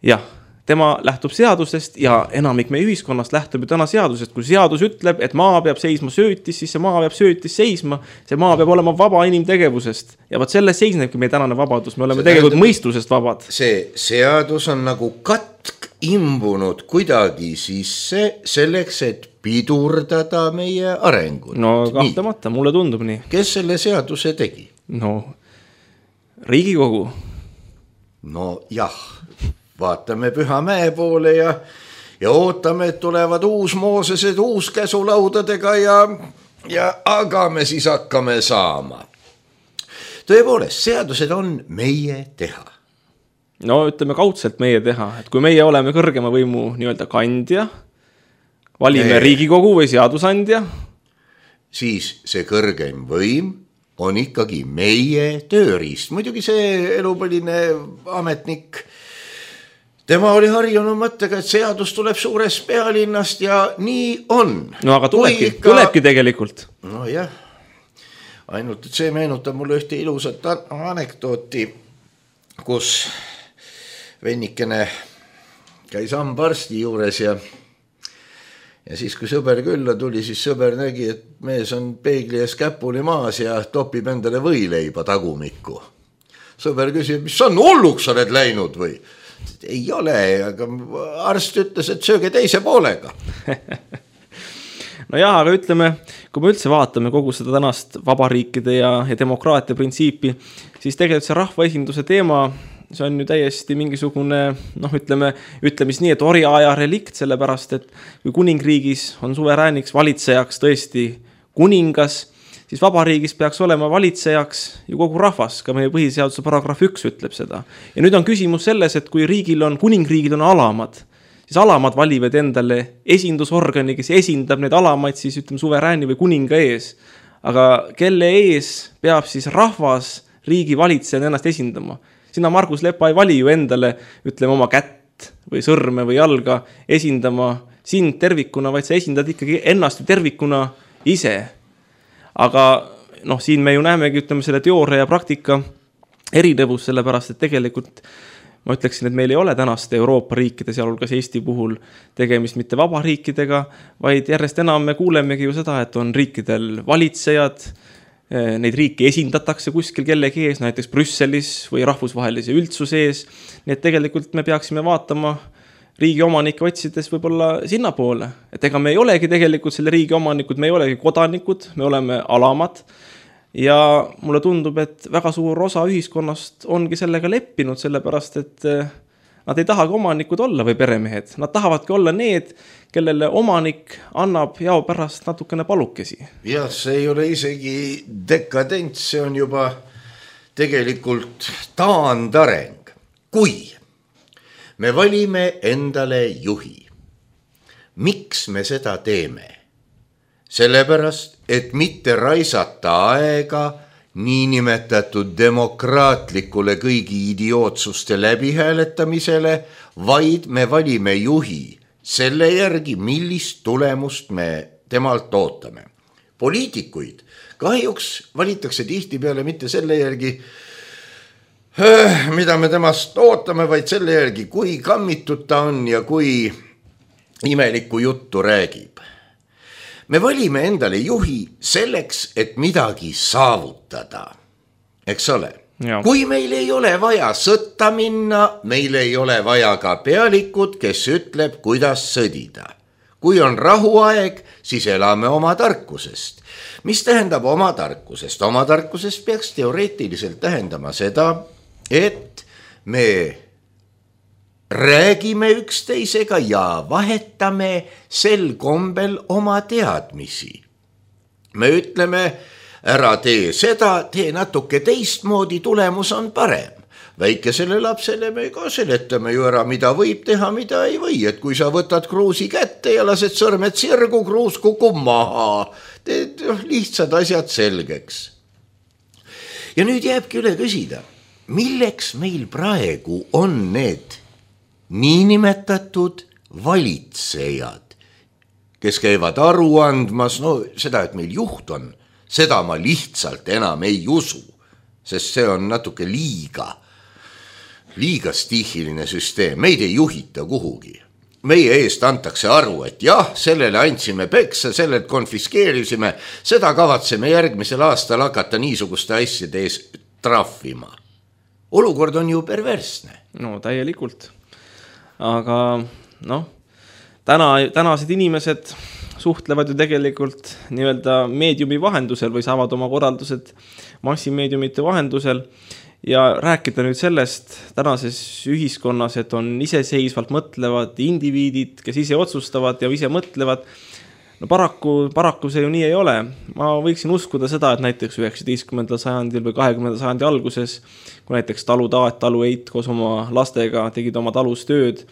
Jah. Tema lähtub seadusest ja enamik meie ühiskonnast lähtub ju täna seadusest. Kui seadus ütleb, et maa peab seisma söötis, siis see maa peab söötis seisma. See maa peab olema vaba inimtegevusest. Ja vaat selles seisnebki meie tänane vabadus. Me oleme see tegelikult tähendab, mõistusest vabad. See seadus on nagu katk imbunud kuidagi sisse selleks, et pidurdada meie arengut. No kahtamata, mulle tundub nii. Kes selle seaduse tegi? No, Riigikogu. No jah. Vaatame Pühamäe poole ja, ja ootame, et tulevad uus Moosesed uus käsulaudadega ja, ja aga me siis hakkame saama. Tõepoolest, seadused on meie teha. No ütleme kaudselt meie teha, et kui meie oleme kõrgema võimu nii-öelda kandja, valime nee. Riigikogu või seadusandja, siis see kõrgem võim on ikkagi meie tööriist. Muidugi see elupõline ametnik, tema oli harjunud mõttega, et seadus tuleb suurest pealinnast ja nii on. No aga tulebki, ikka... tulebki tegelikult. No jah, ainult et see meenutab mulle ühte ilusat anekdooti, kus vennikene käis hambaarsti juures ja, ja siis kui sõber külla tuli, siis sõber nägi, et mees on peegli ees käpuli maas ja topib endale võileiba tagumikku. Sõber küsib, mis on, hulluks oled läinud või? Ei ole, aga arst ütles, et sööge teise poolega. No jah, aga ütleme, kui me üldse vaatame kogu seda tänast vabariikide ja, ja demokraatia printsiipi, siis tegelikult see rahvaesinduse teema, see on ju täiesti mingisugune, noh ütleme, ütlemis nii, et orjaaja relikt, sellepärast, et kui kuningriigis on suverääniks valitsejaks tõesti kuningas, siis vabariigis peaks olema valitsejaks ju kogu rahvas, ka meie põhiseaduse paragrahv üks ütleb seda. Ja nüüd on küsimus selles, et kui riigil on, kuningriigil on alamad, siis alamad valivad endale esindusorgani, kes esindab neid alamaid siis ütleme suverääni või kuninga ees. Aga kelle ees peab siis rahvas riigi valitsejana ennast esindama? Sina, Margus Lepa, ei vali ju endale, ütleme oma kätt või sõrme või jalga esindama sind tervikuna, vaid sa esindad ikkagi ennast tervikuna ise. Aga noh, siin me ju näemegi, ütleme, selle teooria ja praktika erinevus, sellepärast, et tegelikult ma ütleksin, et meil ei ole tänaste Euroopa riikide, sealhulgas Eesti puhul tegemist mitte vabariikidega, vaid järjest enam me kuulemegi ju seda, et on riikidel valitsejad, neid riiki esindatakse kuskil kellegi ees, näiteks Brüsselis või rahvusvahelise üldsuse ees, nii et tegelikult me peaksime vaatama riigi omanikke otsides võib-olla sinna poole. Et ega me ei olegi tegelikult selle riigi omanikud, me ei olegi kodanikud, me oleme alamad. ja mulle tundub, et väga suur osa ühiskonnast ongi sellega leppinud, sellepärast, et nad ei tahagi omanikud olla või peremehed. Nad tahavadki olla need, kellele omanik annab jao pärast natukene palukesi. Jah, see ei ole isegi dekadents, see on juba tegelikult taandareng. Kui me valime endale juhi, miks me seda teeme? Sellepärast, et mitte raisata aega niinimetatud demokraatlikule kõigi idiootsuste läbihääletamisele, vaid me valime juhi selle järgi, millist tulemust me temalt ootame. Poliitikuid kahjuks valitakse tihtipeale mitte selle järgi, mida me temast ootame, vaid selle järgi, kui kammitud ta on ja kui imelikku juttu räägib. Me valime endale juhi selleks, et midagi saavutada. Eks ole? Ja. Kui meil ei ole vaja sõtta minna, meil ei ole vaja ka pealikud, kes ütleb, kuidas sõdida. Kui on rahuaeg, siis elame oma tarkusest. Mis tähendab oma tarkusest? Oma tarkusest peaks teoreetiliselt tähendama seda, et me räägime üksteisega ja vahetame sel kombel oma teadmisi. Me ütleme, ära tee seda, tee natuke teistmoodi, tulemus on parem. Väikesele lapsele me ka seletame ju ära, mida võib teha, mida ei või. Et kui sa võtad kruusi kätte ja lased sõrmed sirgu, kruus kukub maha. Teed lihtsad asjad selgeks. Ja nüüd jääbki üle küsida, milleks meil praegu on need niinimetatud valitsejad, kes käivad aru andmas, no seda, et meil juht on, seda ma lihtsalt enam ei usu, sest see on natuke liiga, liiga stiihiline süsteem, meid ei juhita kuhugi. Meie eest antakse aru, et jah, sellele andsime peksa, sellelt konfiskeerisime, seda kavatseme järgmisel aastal hakata niisuguste asjade ees trahvima. Olukord on ju perversne. No täielikult. Aga noh, täna, tänased inimesed suhtlevad ju tegelikult nii-öelda meediumi vahendusel või saavad oma korraldused massimeediumite vahendusel ja rääkida nüüd sellest tänases ühiskonnas, et on iseseisvalt mõtlevad indiviidid, kes ise otsustavad ja ise mõtlevad. No paraku, paraku see ju nii ei ole. Ma võiksin uskuda seda, et näiteks üheksateistkümnendal sajandil või kahekümnendal sajandi alguses, kui näiteks talu Taat, talu Eit koos oma lastega tegid oma talus tööd,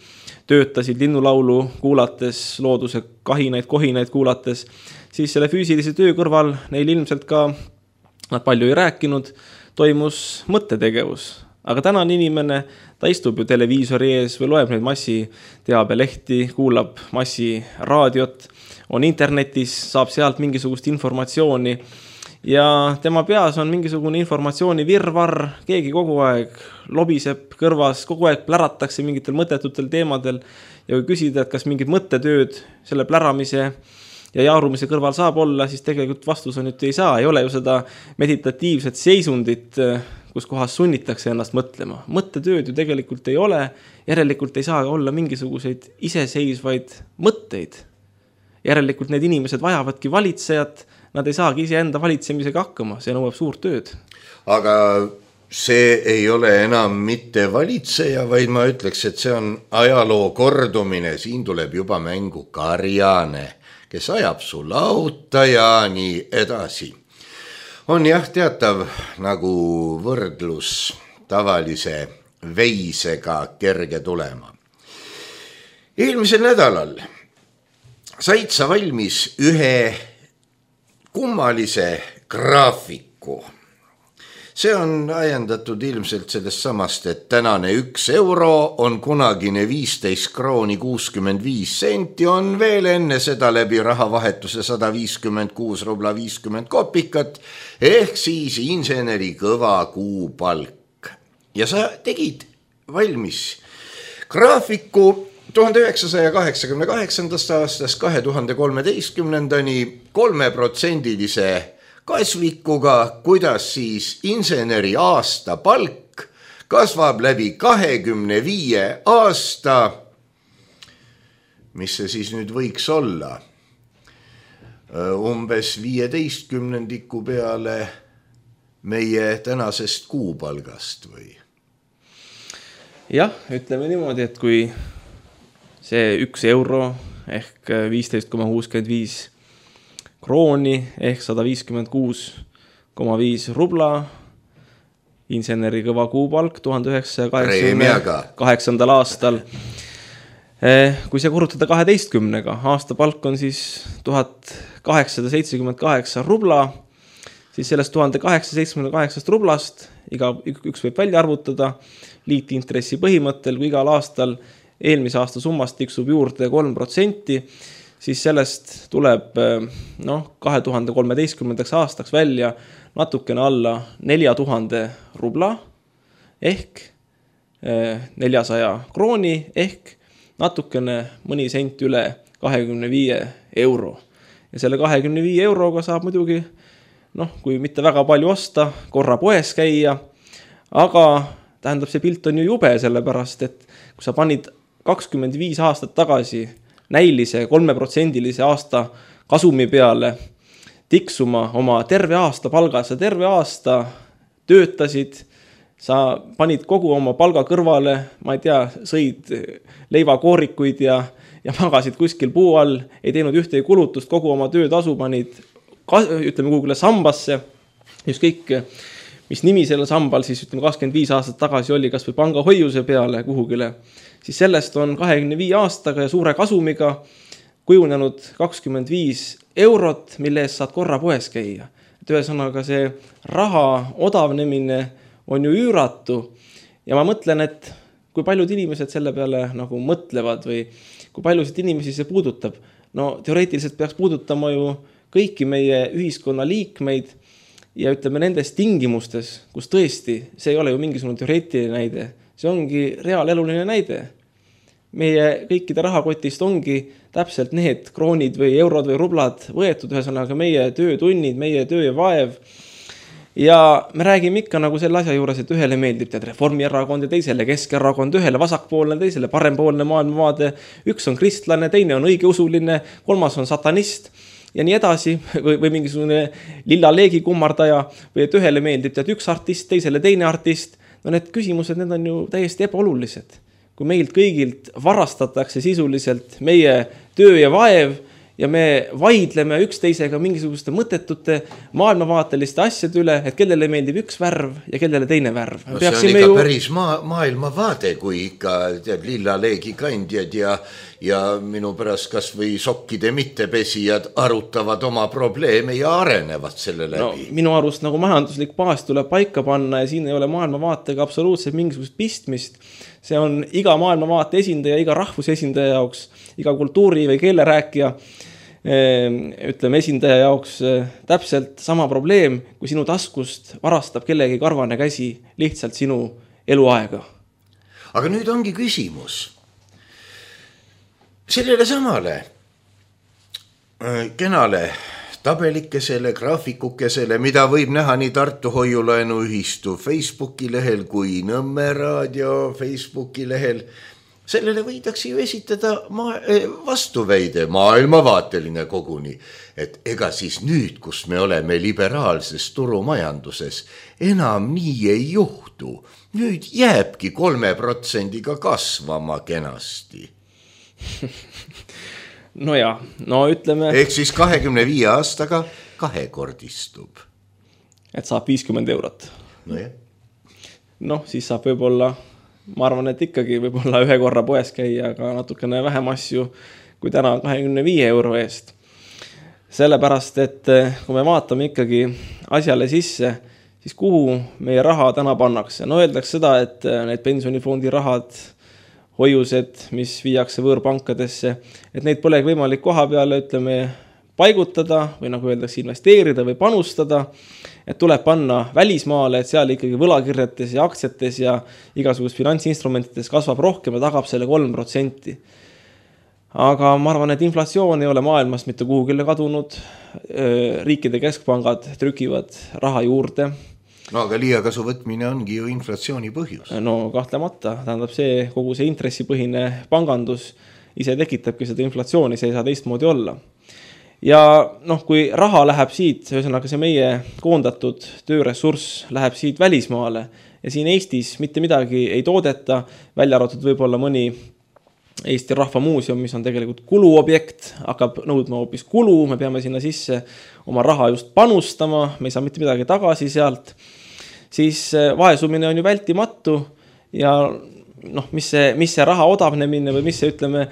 töötasid linnulaulu kuulates, looduse kahinaid, kohinaid kuulates, siis selle füüsilise töö kõrval neil ilmselt ka, nad palju ei rääkinud, toimus mõttetegevus. Aga tänane inimene, ta istub ju televiisori ees või loeb neid massiteabelehti, kuulab massiraadiot, on internetis, saab sealt mingisugust informatsiooni ja tema peas on mingisugune informatsiooni virvarr, keegi kogu aeg lobiseb kõrvas, kogu aeg pläratakse mingitel mõttetutel teemadel ja kui küsida, et kas mingid mõttetööd selle pläramise ja jaarumise kõrval saab olla, siis tegelikult vastus on, et ei saa, ei ole ju seda meditatiivset seisundit, kus kohas sunnitakse ennast mõtlema. Mõttetööd ju tegelikult ei ole, järelikult ei saa olla mingisuguseid iseseisvaid mõtteid. Järelikult need inimesed vajavadki valitsejat, nad ei saagi ise enda valitsemisega hakkama, see nõuab suurt tööd. Aga see ei ole enam mitte valitseja, vaid ma ütleks, et see on ajaloo kordumine, siin tuleb juba mängu karjane, kes ajab su lauta ja nii edasi. On jah teatav nagu võrdlus tavalise veisega kerge tulema. Eelmisel nädalal said sa valmis ühe kummalise graafiku. See on ajendatud ilmselt sellest samast, et tänane üks euro on kunagine viisteist krooni kuuskümmend viis senti, on veel enne seda läbi rahavahetuse sada viiskümmend kuus rubla viiskümmend kopikat, ehk siis inseneri kõva kuupalk. Ja sa tegid valmis graafiku tuhande üheksasaja kaheksakümne kaheksandast aastast kahe tuhande kolmeteistkümnendani kolmeprotsendilise kasvikuga, kuidas siis inseneri aasta palk kasvab läbi kahekümne viie aasta. Mis see siis nüüd võiks olla? Umbes viieteistkümnendiku peale meie tänasest kuupalgast või? Jah, ütleme niimoodi, et kui see üks euro ehk viisteist koma kuuskümmend viis krooni ehk sada viiskümmend kuus koma viis rubla, inseneri kõva kuupalk tuhande üheksasaja kaheksakümne kaheksandal aastal. Kui see korrutada kaheteistkümnega, aasta palk on siis tuhat kaheksasada seitsekümmend kaheksa rubla, siis sellest tuhande kaheksasada seitsekümmend kaheksast rublast iga üks võib välja arvutada liitintressi põhimõttel, kui igal aastal eelmise aasta summast tiksub juurde kolm protsenti, siis sellest tuleb noh, kahe tuhande kolmeteistkümnendaks aastaks välja natukene alla nelja tuhande rubla ehk neljasaja krooni ehk natukene mõni sent üle kahekümne viie euro. Ja selle kahekümne viie euroga saab muidugi, noh, kui mitte väga palju osta, korra poes käia, aga tähendab, see pilt on ju jube, sellepärast, et kui sa panid kakskümmend viis aastat tagasi näilise kolmeprotsendilise aasta kasumi peale tiksuma oma terve aasta palga, sa terve aasta töötasid, sa panid kogu oma palga kõrvale, ma ei tea, sõid leivakoorikuid ja, ja magasid kuskil puu all, ei teinud ühtegi kulutust, kogu oma töötasu panid, ütleme kuhugile sambasse, just kõik, mis nimi selle sambal siis ütleme kakskümmend viis aastat tagasi oli, kas või panga hoiuse peale kuhugile, siis sellest on kahekümne viie aastaga ja suure kasumiga kujunenud kakskümmend viis eurot, mille eest saad korra poes käia. Et ühesõnaga see raha odavnemine on ju üüratu ja ma mõtlen, et kui paljud inimesed selle peale nagu mõtlevad või kui paljusid inimesi see puudutab. No teoreetiliselt peaks puudutama ju kõiki meie ühiskonna liikmeid ja ütleme nendes tingimustes, kus tõesti, see ei ole ju mingisugune teoreetiline näide, see ongi reaaleluline näide. Meie kõikide rahakotist ongi täpselt need kroonid või eurod või rublad võetud, ühesõnaga meie töötunnid, meie töö ja vaev. Ja me räägime ikka nagu selle asja juures, et ühele meeldib tead Reformierakond ja teisele Keskerakond, ühele vasakpoolne, teisele parempoolne maailmavaade, üks on kristlane, teine on õigeusuline, kolmas on satanist ja nii edasi või, või mingisugune lilla leegi kummardaja või et ühele meeldib tead üks artist, teisele teine artist. No need küsimused, need on ju täiesti ebaolulised. Kui meilt kõigilt varastatakse sisuliselt meie töö ja vaev ja me vaidleme üksteisega mingisuguste mõttetute maailmavaateliste asjade üle, et kellele meeldib üks värv ja kellele teine värv. No, see on ikka ju... päris maa, maailmavaade, kui ikka tead, lilla leegi kandjad ja, ja minu pärast kas või sokkide mittepesijad arutavad oma probleeme ja arenevad selle läbi. No, minu arust nagu majanduslik baas tuleb paika panna ja siin ei ole maailmavaatega absoluutselt mingisugust pistmist. See on iga maailmavaate esindaja, iga rahvuse esindaja jaoks, iga kultuuri või keelerääkija ütleme esindaja jaoks täpselt sama probleem, kui sinu taskust varastab kellegi karvane käsi lihtsalt sinu eluaega. Aga nüüd ongi küsimus sellele samale kenale tabelikesele, graafikukesele, mida võib näha nii Tartu Hoiulaenuühistu Facebooki lehel kui Nõmme raadio Facebooki lehel. Sellele võidakse ju esitada ma- vastuväide, maailmavaateline koguni, et ega siis nüüd, kus me oleme liberaalses turumajanduses, enam nii ei juhtu. Nüüd jääbki kolme protsendiga kasvama kenasti. No ja, no ütleme... Ehk siis kahekümne viie aastaga kahekordistub. Et saab viiskümmend eurot. No jah. Noh, siis saab võib-olla... Ma arvan, et ikkagi võib-olla ühe korra poes käia, aga natukene vähem asju kui täna kahekümne viie euro eest. Sellepärast, et kui me vaatame ikkagi asjale sisse, siis kuhu meie raha täna pannakse. No öeldakse seda, et need pensionifondi rahad, hoiused, mis viiakse võõrpankadesse, et neid polegi võimalik koha peale, ütleme, paigutada või nagu öeldakse investeerida või panustada, et tuleb panna välismaale, et seal ikkagi võlakirjates ja aktsiates ja igasugust finantsinstrumentides kasvab rohkem ja tagab selle kolm protsenti. Aga ma arvan, et inflatsioon ei ole maailmast mitte kuhugile kadunud. Riikide keskpangad trükivad raha juurde. No aga liiakasu võtmine ongi ju inflatsiooni põhjus. No kahtlemata, tähendab see kogu see intressipõhine pangandus ise tekitabki seda inflatsiooni, see ei saa teistmoodi olla. ja noh, kui raha läheb siit, ühesõnaga see meie koondatud tööressurss läheb siit välismaale ja siin Eestis mitte midagi ei toodeta, välja arvatud võib-olla mõni Eesti Rahvamuuseum, mis on tegelikult kuluobjekt, hakkab nõudma hoopis kulu, me peame sinna sisse oma raha just panustama, me ei saa mitte midagi tagasi sealt, siis vaesumine on ju vältimatu ja noh, mis see, mis see raha odavnemine või mis see ütleme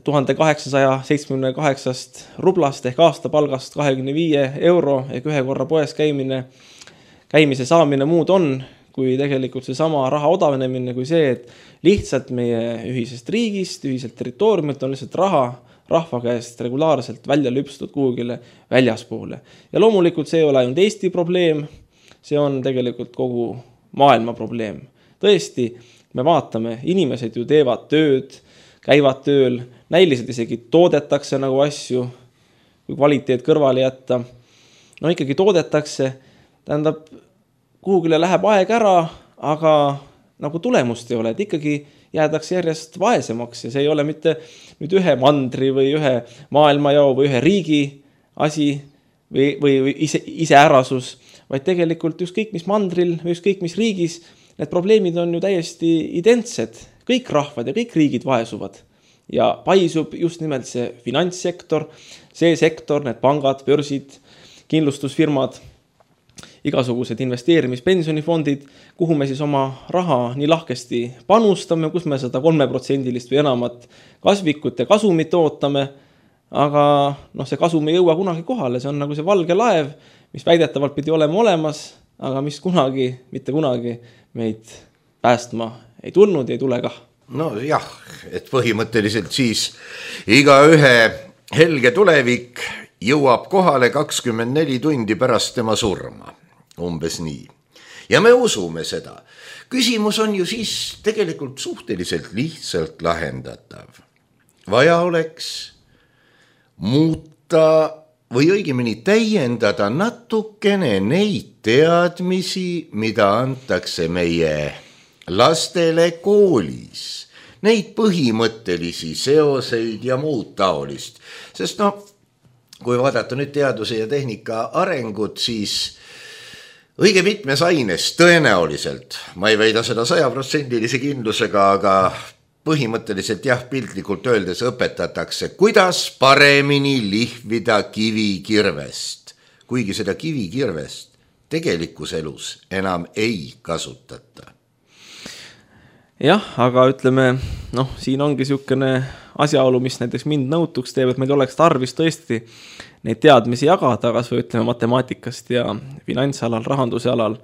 tuhat kaheksasada seitsekümmend kaheksa rublast ehk aastapalgast kahekümne viie euro ehk ühe korra poes käimine, käimise saamine muud on, kui tegelikult see sama raha odavnemine kui see, et lihtsalt meie ühisest riigist, ühiselt territooriumilt on lihtsalt raha rahva käest regulaarselt välja lüpstud kuhugile väljaspoole. Ja loomulikult see ei ole ainult Eesti probleem, see on tegelikult kogu maailma probleem. Tõesti, me vaatame, inimesed ju teevad tööd, käivad tööl, näiliselt isegi toodetakse nagu asju, kui kvaliteet kõrvale jätta. No ikkagi toodetakse, tähendab, kuhugile läheb aeg ära, aga nagu tulemust ei ole, et ikkagi jäädakse järjest vaesemaks ja see ei ole mitte nüüd ühe mandri või ühe maailmajao või ühe riigi asi või, või, või ise, iseärasus, vaid tegelikult ükskõik mis mandril või ükskõik mis riigis, need probleemid on ju täiesti identsed. Kõik rahvad ja kõik riigid vaesuvad ja paisub just nimelt see finantssektor, see sektor, need pangad, börsid, kindlustusfirmad, igasugused investeerimispensionifondid, kuhu me siis oma raha nii lahkesti panustame, kus me seda kolmeprotsendilist või enamat kasvikut ja kasumit ootame, aga noh, see kasum ei jõua kunagi kohale, see on nagu see valge laev, mis väidetavalt pidi olema olemas, aga mis kunagi, mitte kunagi meid päästma ei tulnud ja ei tule kah. No jah, et põhimõtteliselt siis iga ühe helge tulevik jõuab kohale kakskümmend neli tundi pärast tema surma. Umbes nii. Ja me usume seda. Küsimus on ju siis tegelikult suhteliselt lihtsalt lahendatav. Vaja oleks muuta või õigemini täiendada natukene neid teadmisi, mida antakse meie lastele koolis. Neid põhimõttelisi seoseid ja muud taolist. Sest noh, kui vaadata nüüd teaduse ja tehnika arengut, siis õige mitmes aines tõenäoliselt, ma ei väida seda sajaprotsendilise kindlusega, aga põhimõtteliselt jah, piltlikult öeldes õpetatakse, kuidas paremini lihvida kivikirvest, kuigi seda kivikirvest tegelikus elus enam ei kasutata. Jah, aga ütleme, noh, siin ongi siukene asjaolu, mis näiteks mind nõutuks teeb, et meil oleks tarvis tõesti neid teadmisi jagada, kas või ütleme matemaatikast ja finantsalal, rahanduse alal,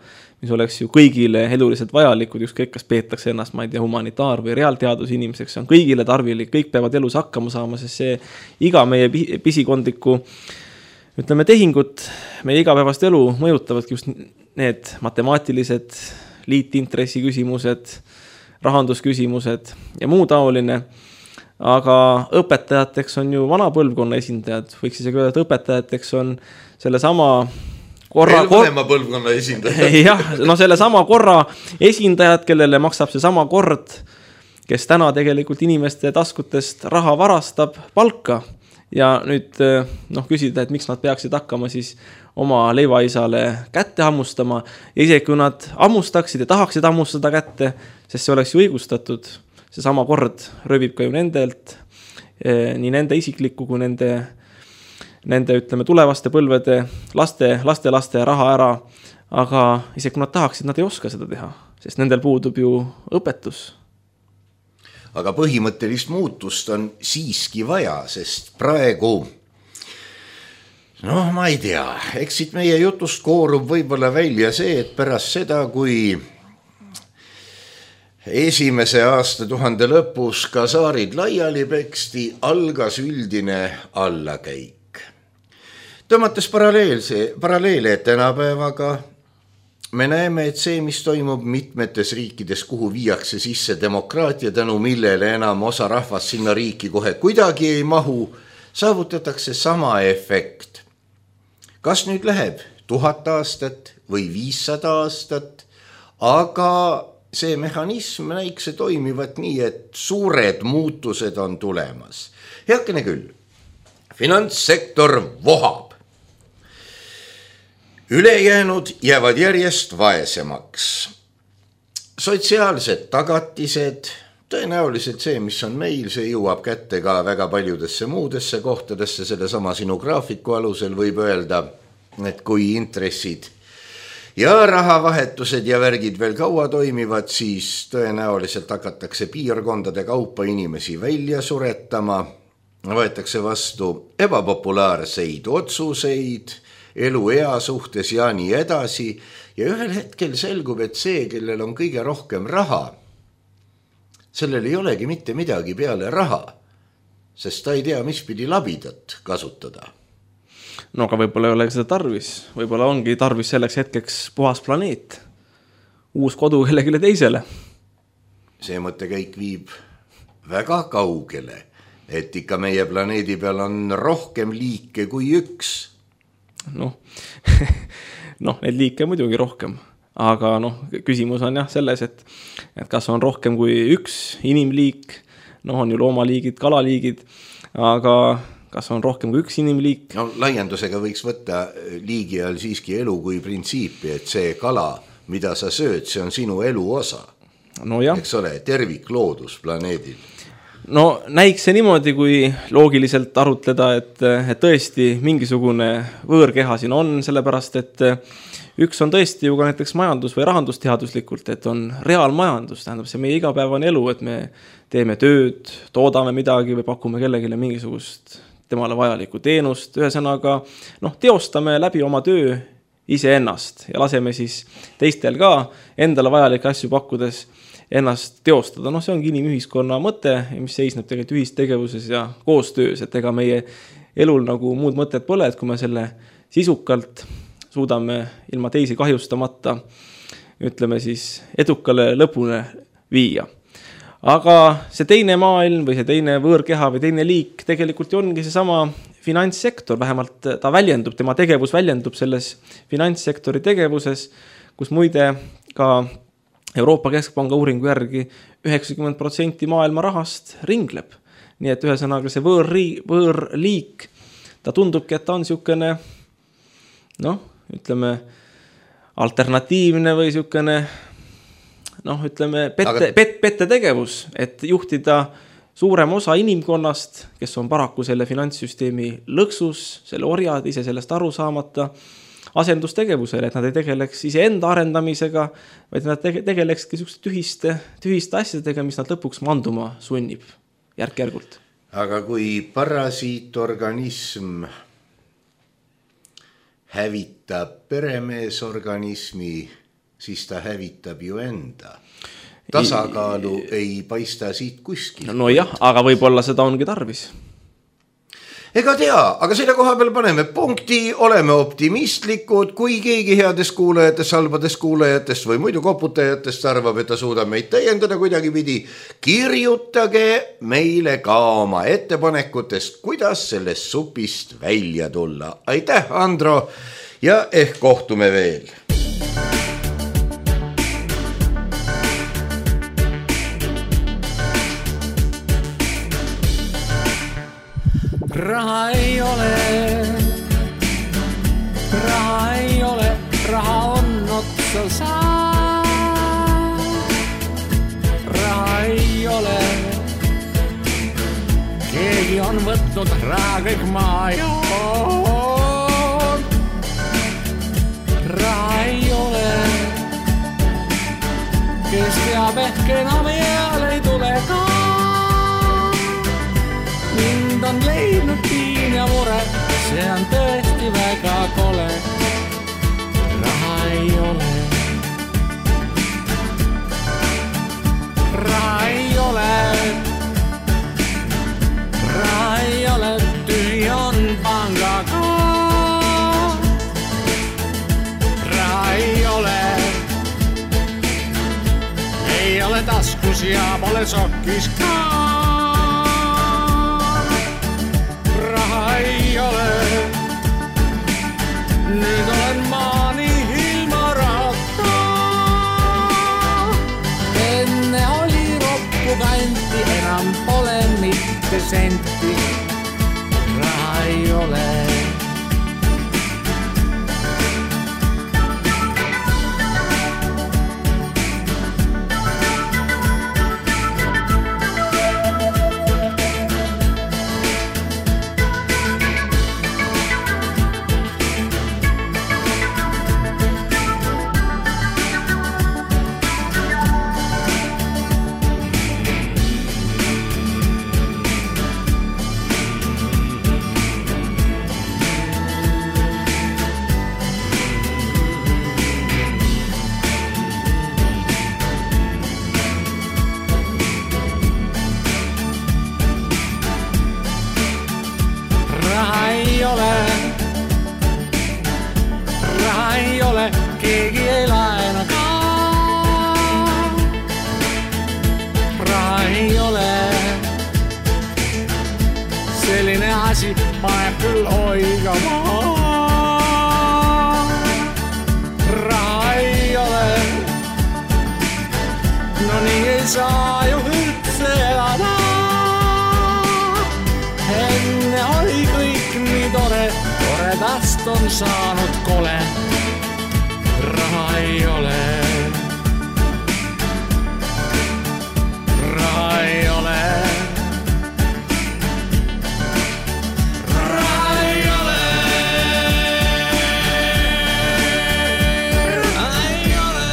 mis oleks ju kõigile eluliselt vajalikud, ükskõik kas peetakse ennast, ma ei tea, humanitaar- või reaalteadus inimeseks, see on kõigile tarvilik, kõik peavad elus hakkama saama, sest see iga meie pisikondliku, ütleme, tehingut, meie igapäevast elu mõjutavadki just need matemaatilised liitintressi küsimused, rahandusküsimused ja muu taoline, aga õpetajateks on ju vana põlvkonna esindajad, võiks isegi öelda, et õpetajateks on selle sama korra... Veel vanema põlvkonna esindajad. Jah, no selle sama korra esindajad, kellele maksab see sama kord, kes täna tegelikult inimeste taskutest raha varastab palka ja nüüd noh, küsida, et miks nad peaksid hakkama siis oma leivaisale kätte hammustama ja isegi kui nad hammustaksid ja tahaksid hammustada kätte, sest see oleks ju õigustatud, see sama kord röövib ka ju nendelt, nii nende isiklikku kui nende, nende ütleme, tulevaste põlvede laste, laste, laste raha ära, aga isegi kui nad tahaksid, nad ei oska seda teha, sest nendel puudub ju õpetus. Aga põhimõttelist muutust on siiski vaja, sest praegu, noh, ma ei tea, eks siit meie jutust koorub võib-olla välja see, et pärast seda, kui esimese aasta tuhande lõpus ka saarid laiali peksti, algas üldine allakäik. Tõmmates paralleelse, paralleele tänapäevaga, me näeme, et see, mis toimub mitmetes riikides, kuhu viiakse sisse demokraatia, tänu millele enam osa rahvast sinna riiki kohe kuidagi ei mahu, saavutatakse sama efekt. Kas nüüd läheb tuhat aastat või viissada aastat, aga see mehhanism näikse toimivat nii, et suured muutused on tulemas. Heakene küll, finantssektor vohab. Ülejäänud jäävad järjest vaesemaks. Sotsiaalsed tagatised, tõenäoliselt see, mis on meil, see jõuab kätte ka väga paljudesse muudesse kohtadesse, selle sama sinu graafiku alusel võib öelda, et kui intressid ja rahavahetused ja värgid veel kaua toimivad, siis tõenäoliselt hakatakse piirkondade kaupa inimesi välja suretama, võetakse vastu ebapopulaarseid otsuseid, elu ea suhtes ja nii edasi ja ühel hetkel selgub, et see, kellel on kõige rohkem raha, sellel ei olegi mitte midagi peale raha, sest ta ei tea, mis pidi labidat kasutada. No aga võib-olla ei ole seda tarvis, võib-olla ongi tarvis selleks hetkeks puhas planeet, uus kodu kellegile teisele. See mõttekäik viib väga kaugele, et ikka meie planeedi peal on rohkem liike kui üks. Noh, noh, neid liike muidugi rohkem, aga noh, küsimus on jah selles, et, et kas on rohkem kui üks inimliik, noh on ju loomaliigid, kalaliigid, aga kas on rohkem kui üks inimliik? No laiendusega võiks võtta liigi all siiski elu kui printsiipi, et see kala, mida sa sööd, see on sinu elu osa. No jah. Eks ole, tervik loodus planeedil. No näiks see niimoodi, kui loogiliselt arutleda, et, et tõesti mingisugune võõrkeha siin on, sellepärast, et üks on tõesti ju ka näiteks majandus- või rahandusteaduslikult, et on reaalmajandus, tähendab see meie igapäevane elu, et me teeme tööd, toodame midagi või pakume kellegile mingisugust temale vajalikku teenust, ühesõnaga noh, teostame läbi oma töö iseennast ja laseme siis teistel ka endale vajalikke asju pakkudes ennast teostada. Noh, see ongi inimühiskonna mõte, mis seisneb tegelikult ühistegevuses ja koostöös, et ega meie elul nagu muud mõtted pole, et kui me selle sisukalt suudame ilma teisi kahjustamata, ütleme siis edukale lõpune viia. Aga see teine maailm või see teine võõrkeha või teine liik tegelikult ongi see sama finantssektor, vähemalt ta väljendub, tema tegevus väljendub selles finantssektori tegevuses, kus muide ka Euroopa Keskpanga uuringu järgi üheksakümmend protsenti maailma rahast ringleb. Nii et ühesõnaga see võõrri, võõrliik, ta tundubki, et ta on siukene, noh, ütleme, alternatiivne või siukene, noh, ütleme, pette, Aga... pet, pette tegevus, et juhtida suurem osa inimkonnast, kes on paraku selle finantssüsteemi lõksus, selle orjad ise sellest aru saamata, asendustegevusele, et nad ei tegeleks ise enda arendamisega, vaid nad tegelekski tühiste, tühiste asjadega, mis nad lõpuks manduma sunnib järk-järgult. Aga kui parasiitorganism hävitab peremeesorganismi, siis ta hävitab ju enda. Tasakaalu I... ei paista siit kuskil. No jah, aga võib-olla seda ongi tarvis. Ega tea, aga selle koha peal paneme punkti, oleme optimistlikud, kui keegi headest kuulajatest, halbadest kuulajatest või muidu koputajatest arvab, et ta suudab meid täiendada kuidagi pidi, kirjutage meile ka oma ettepanekutest, kuidas sellest supist välja tulla. Aitäh, Andro, ja ehk kohtume veel. Raha ei ole, raha ei ole, raha on otsa saa. Raha ei ole, keegi on võtnud raha kõik maa joon. Raha ei ole, kes teab ehk enam eal ei tule ka. Mind on leidnud piin ja mure, see on tõesti väga kole. Raha ei ole, raha ei ole, raha ei ole, tühi on pangaga. Raha ei ole, ei ole taskus ja pole sokkis ka. Ei ole, nüüd olen maani ilma rahata. Enne oli roppu kanti, enam pole mitte senti. raha ei ole. Keegi ei laena ka. Raha ei ole. Selline asi paneb küll oigama. Raha ei ole. No nii ei saa ju üldse elada. Enne oli kõik nii tore. Toredast on saanud kole. Raha ei ole. Raha ei ole. Raha ei ole. Raha ei ole.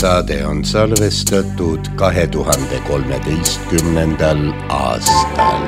Saade on salvestatud kahe tuhande kolmeteistkümnendal aastal.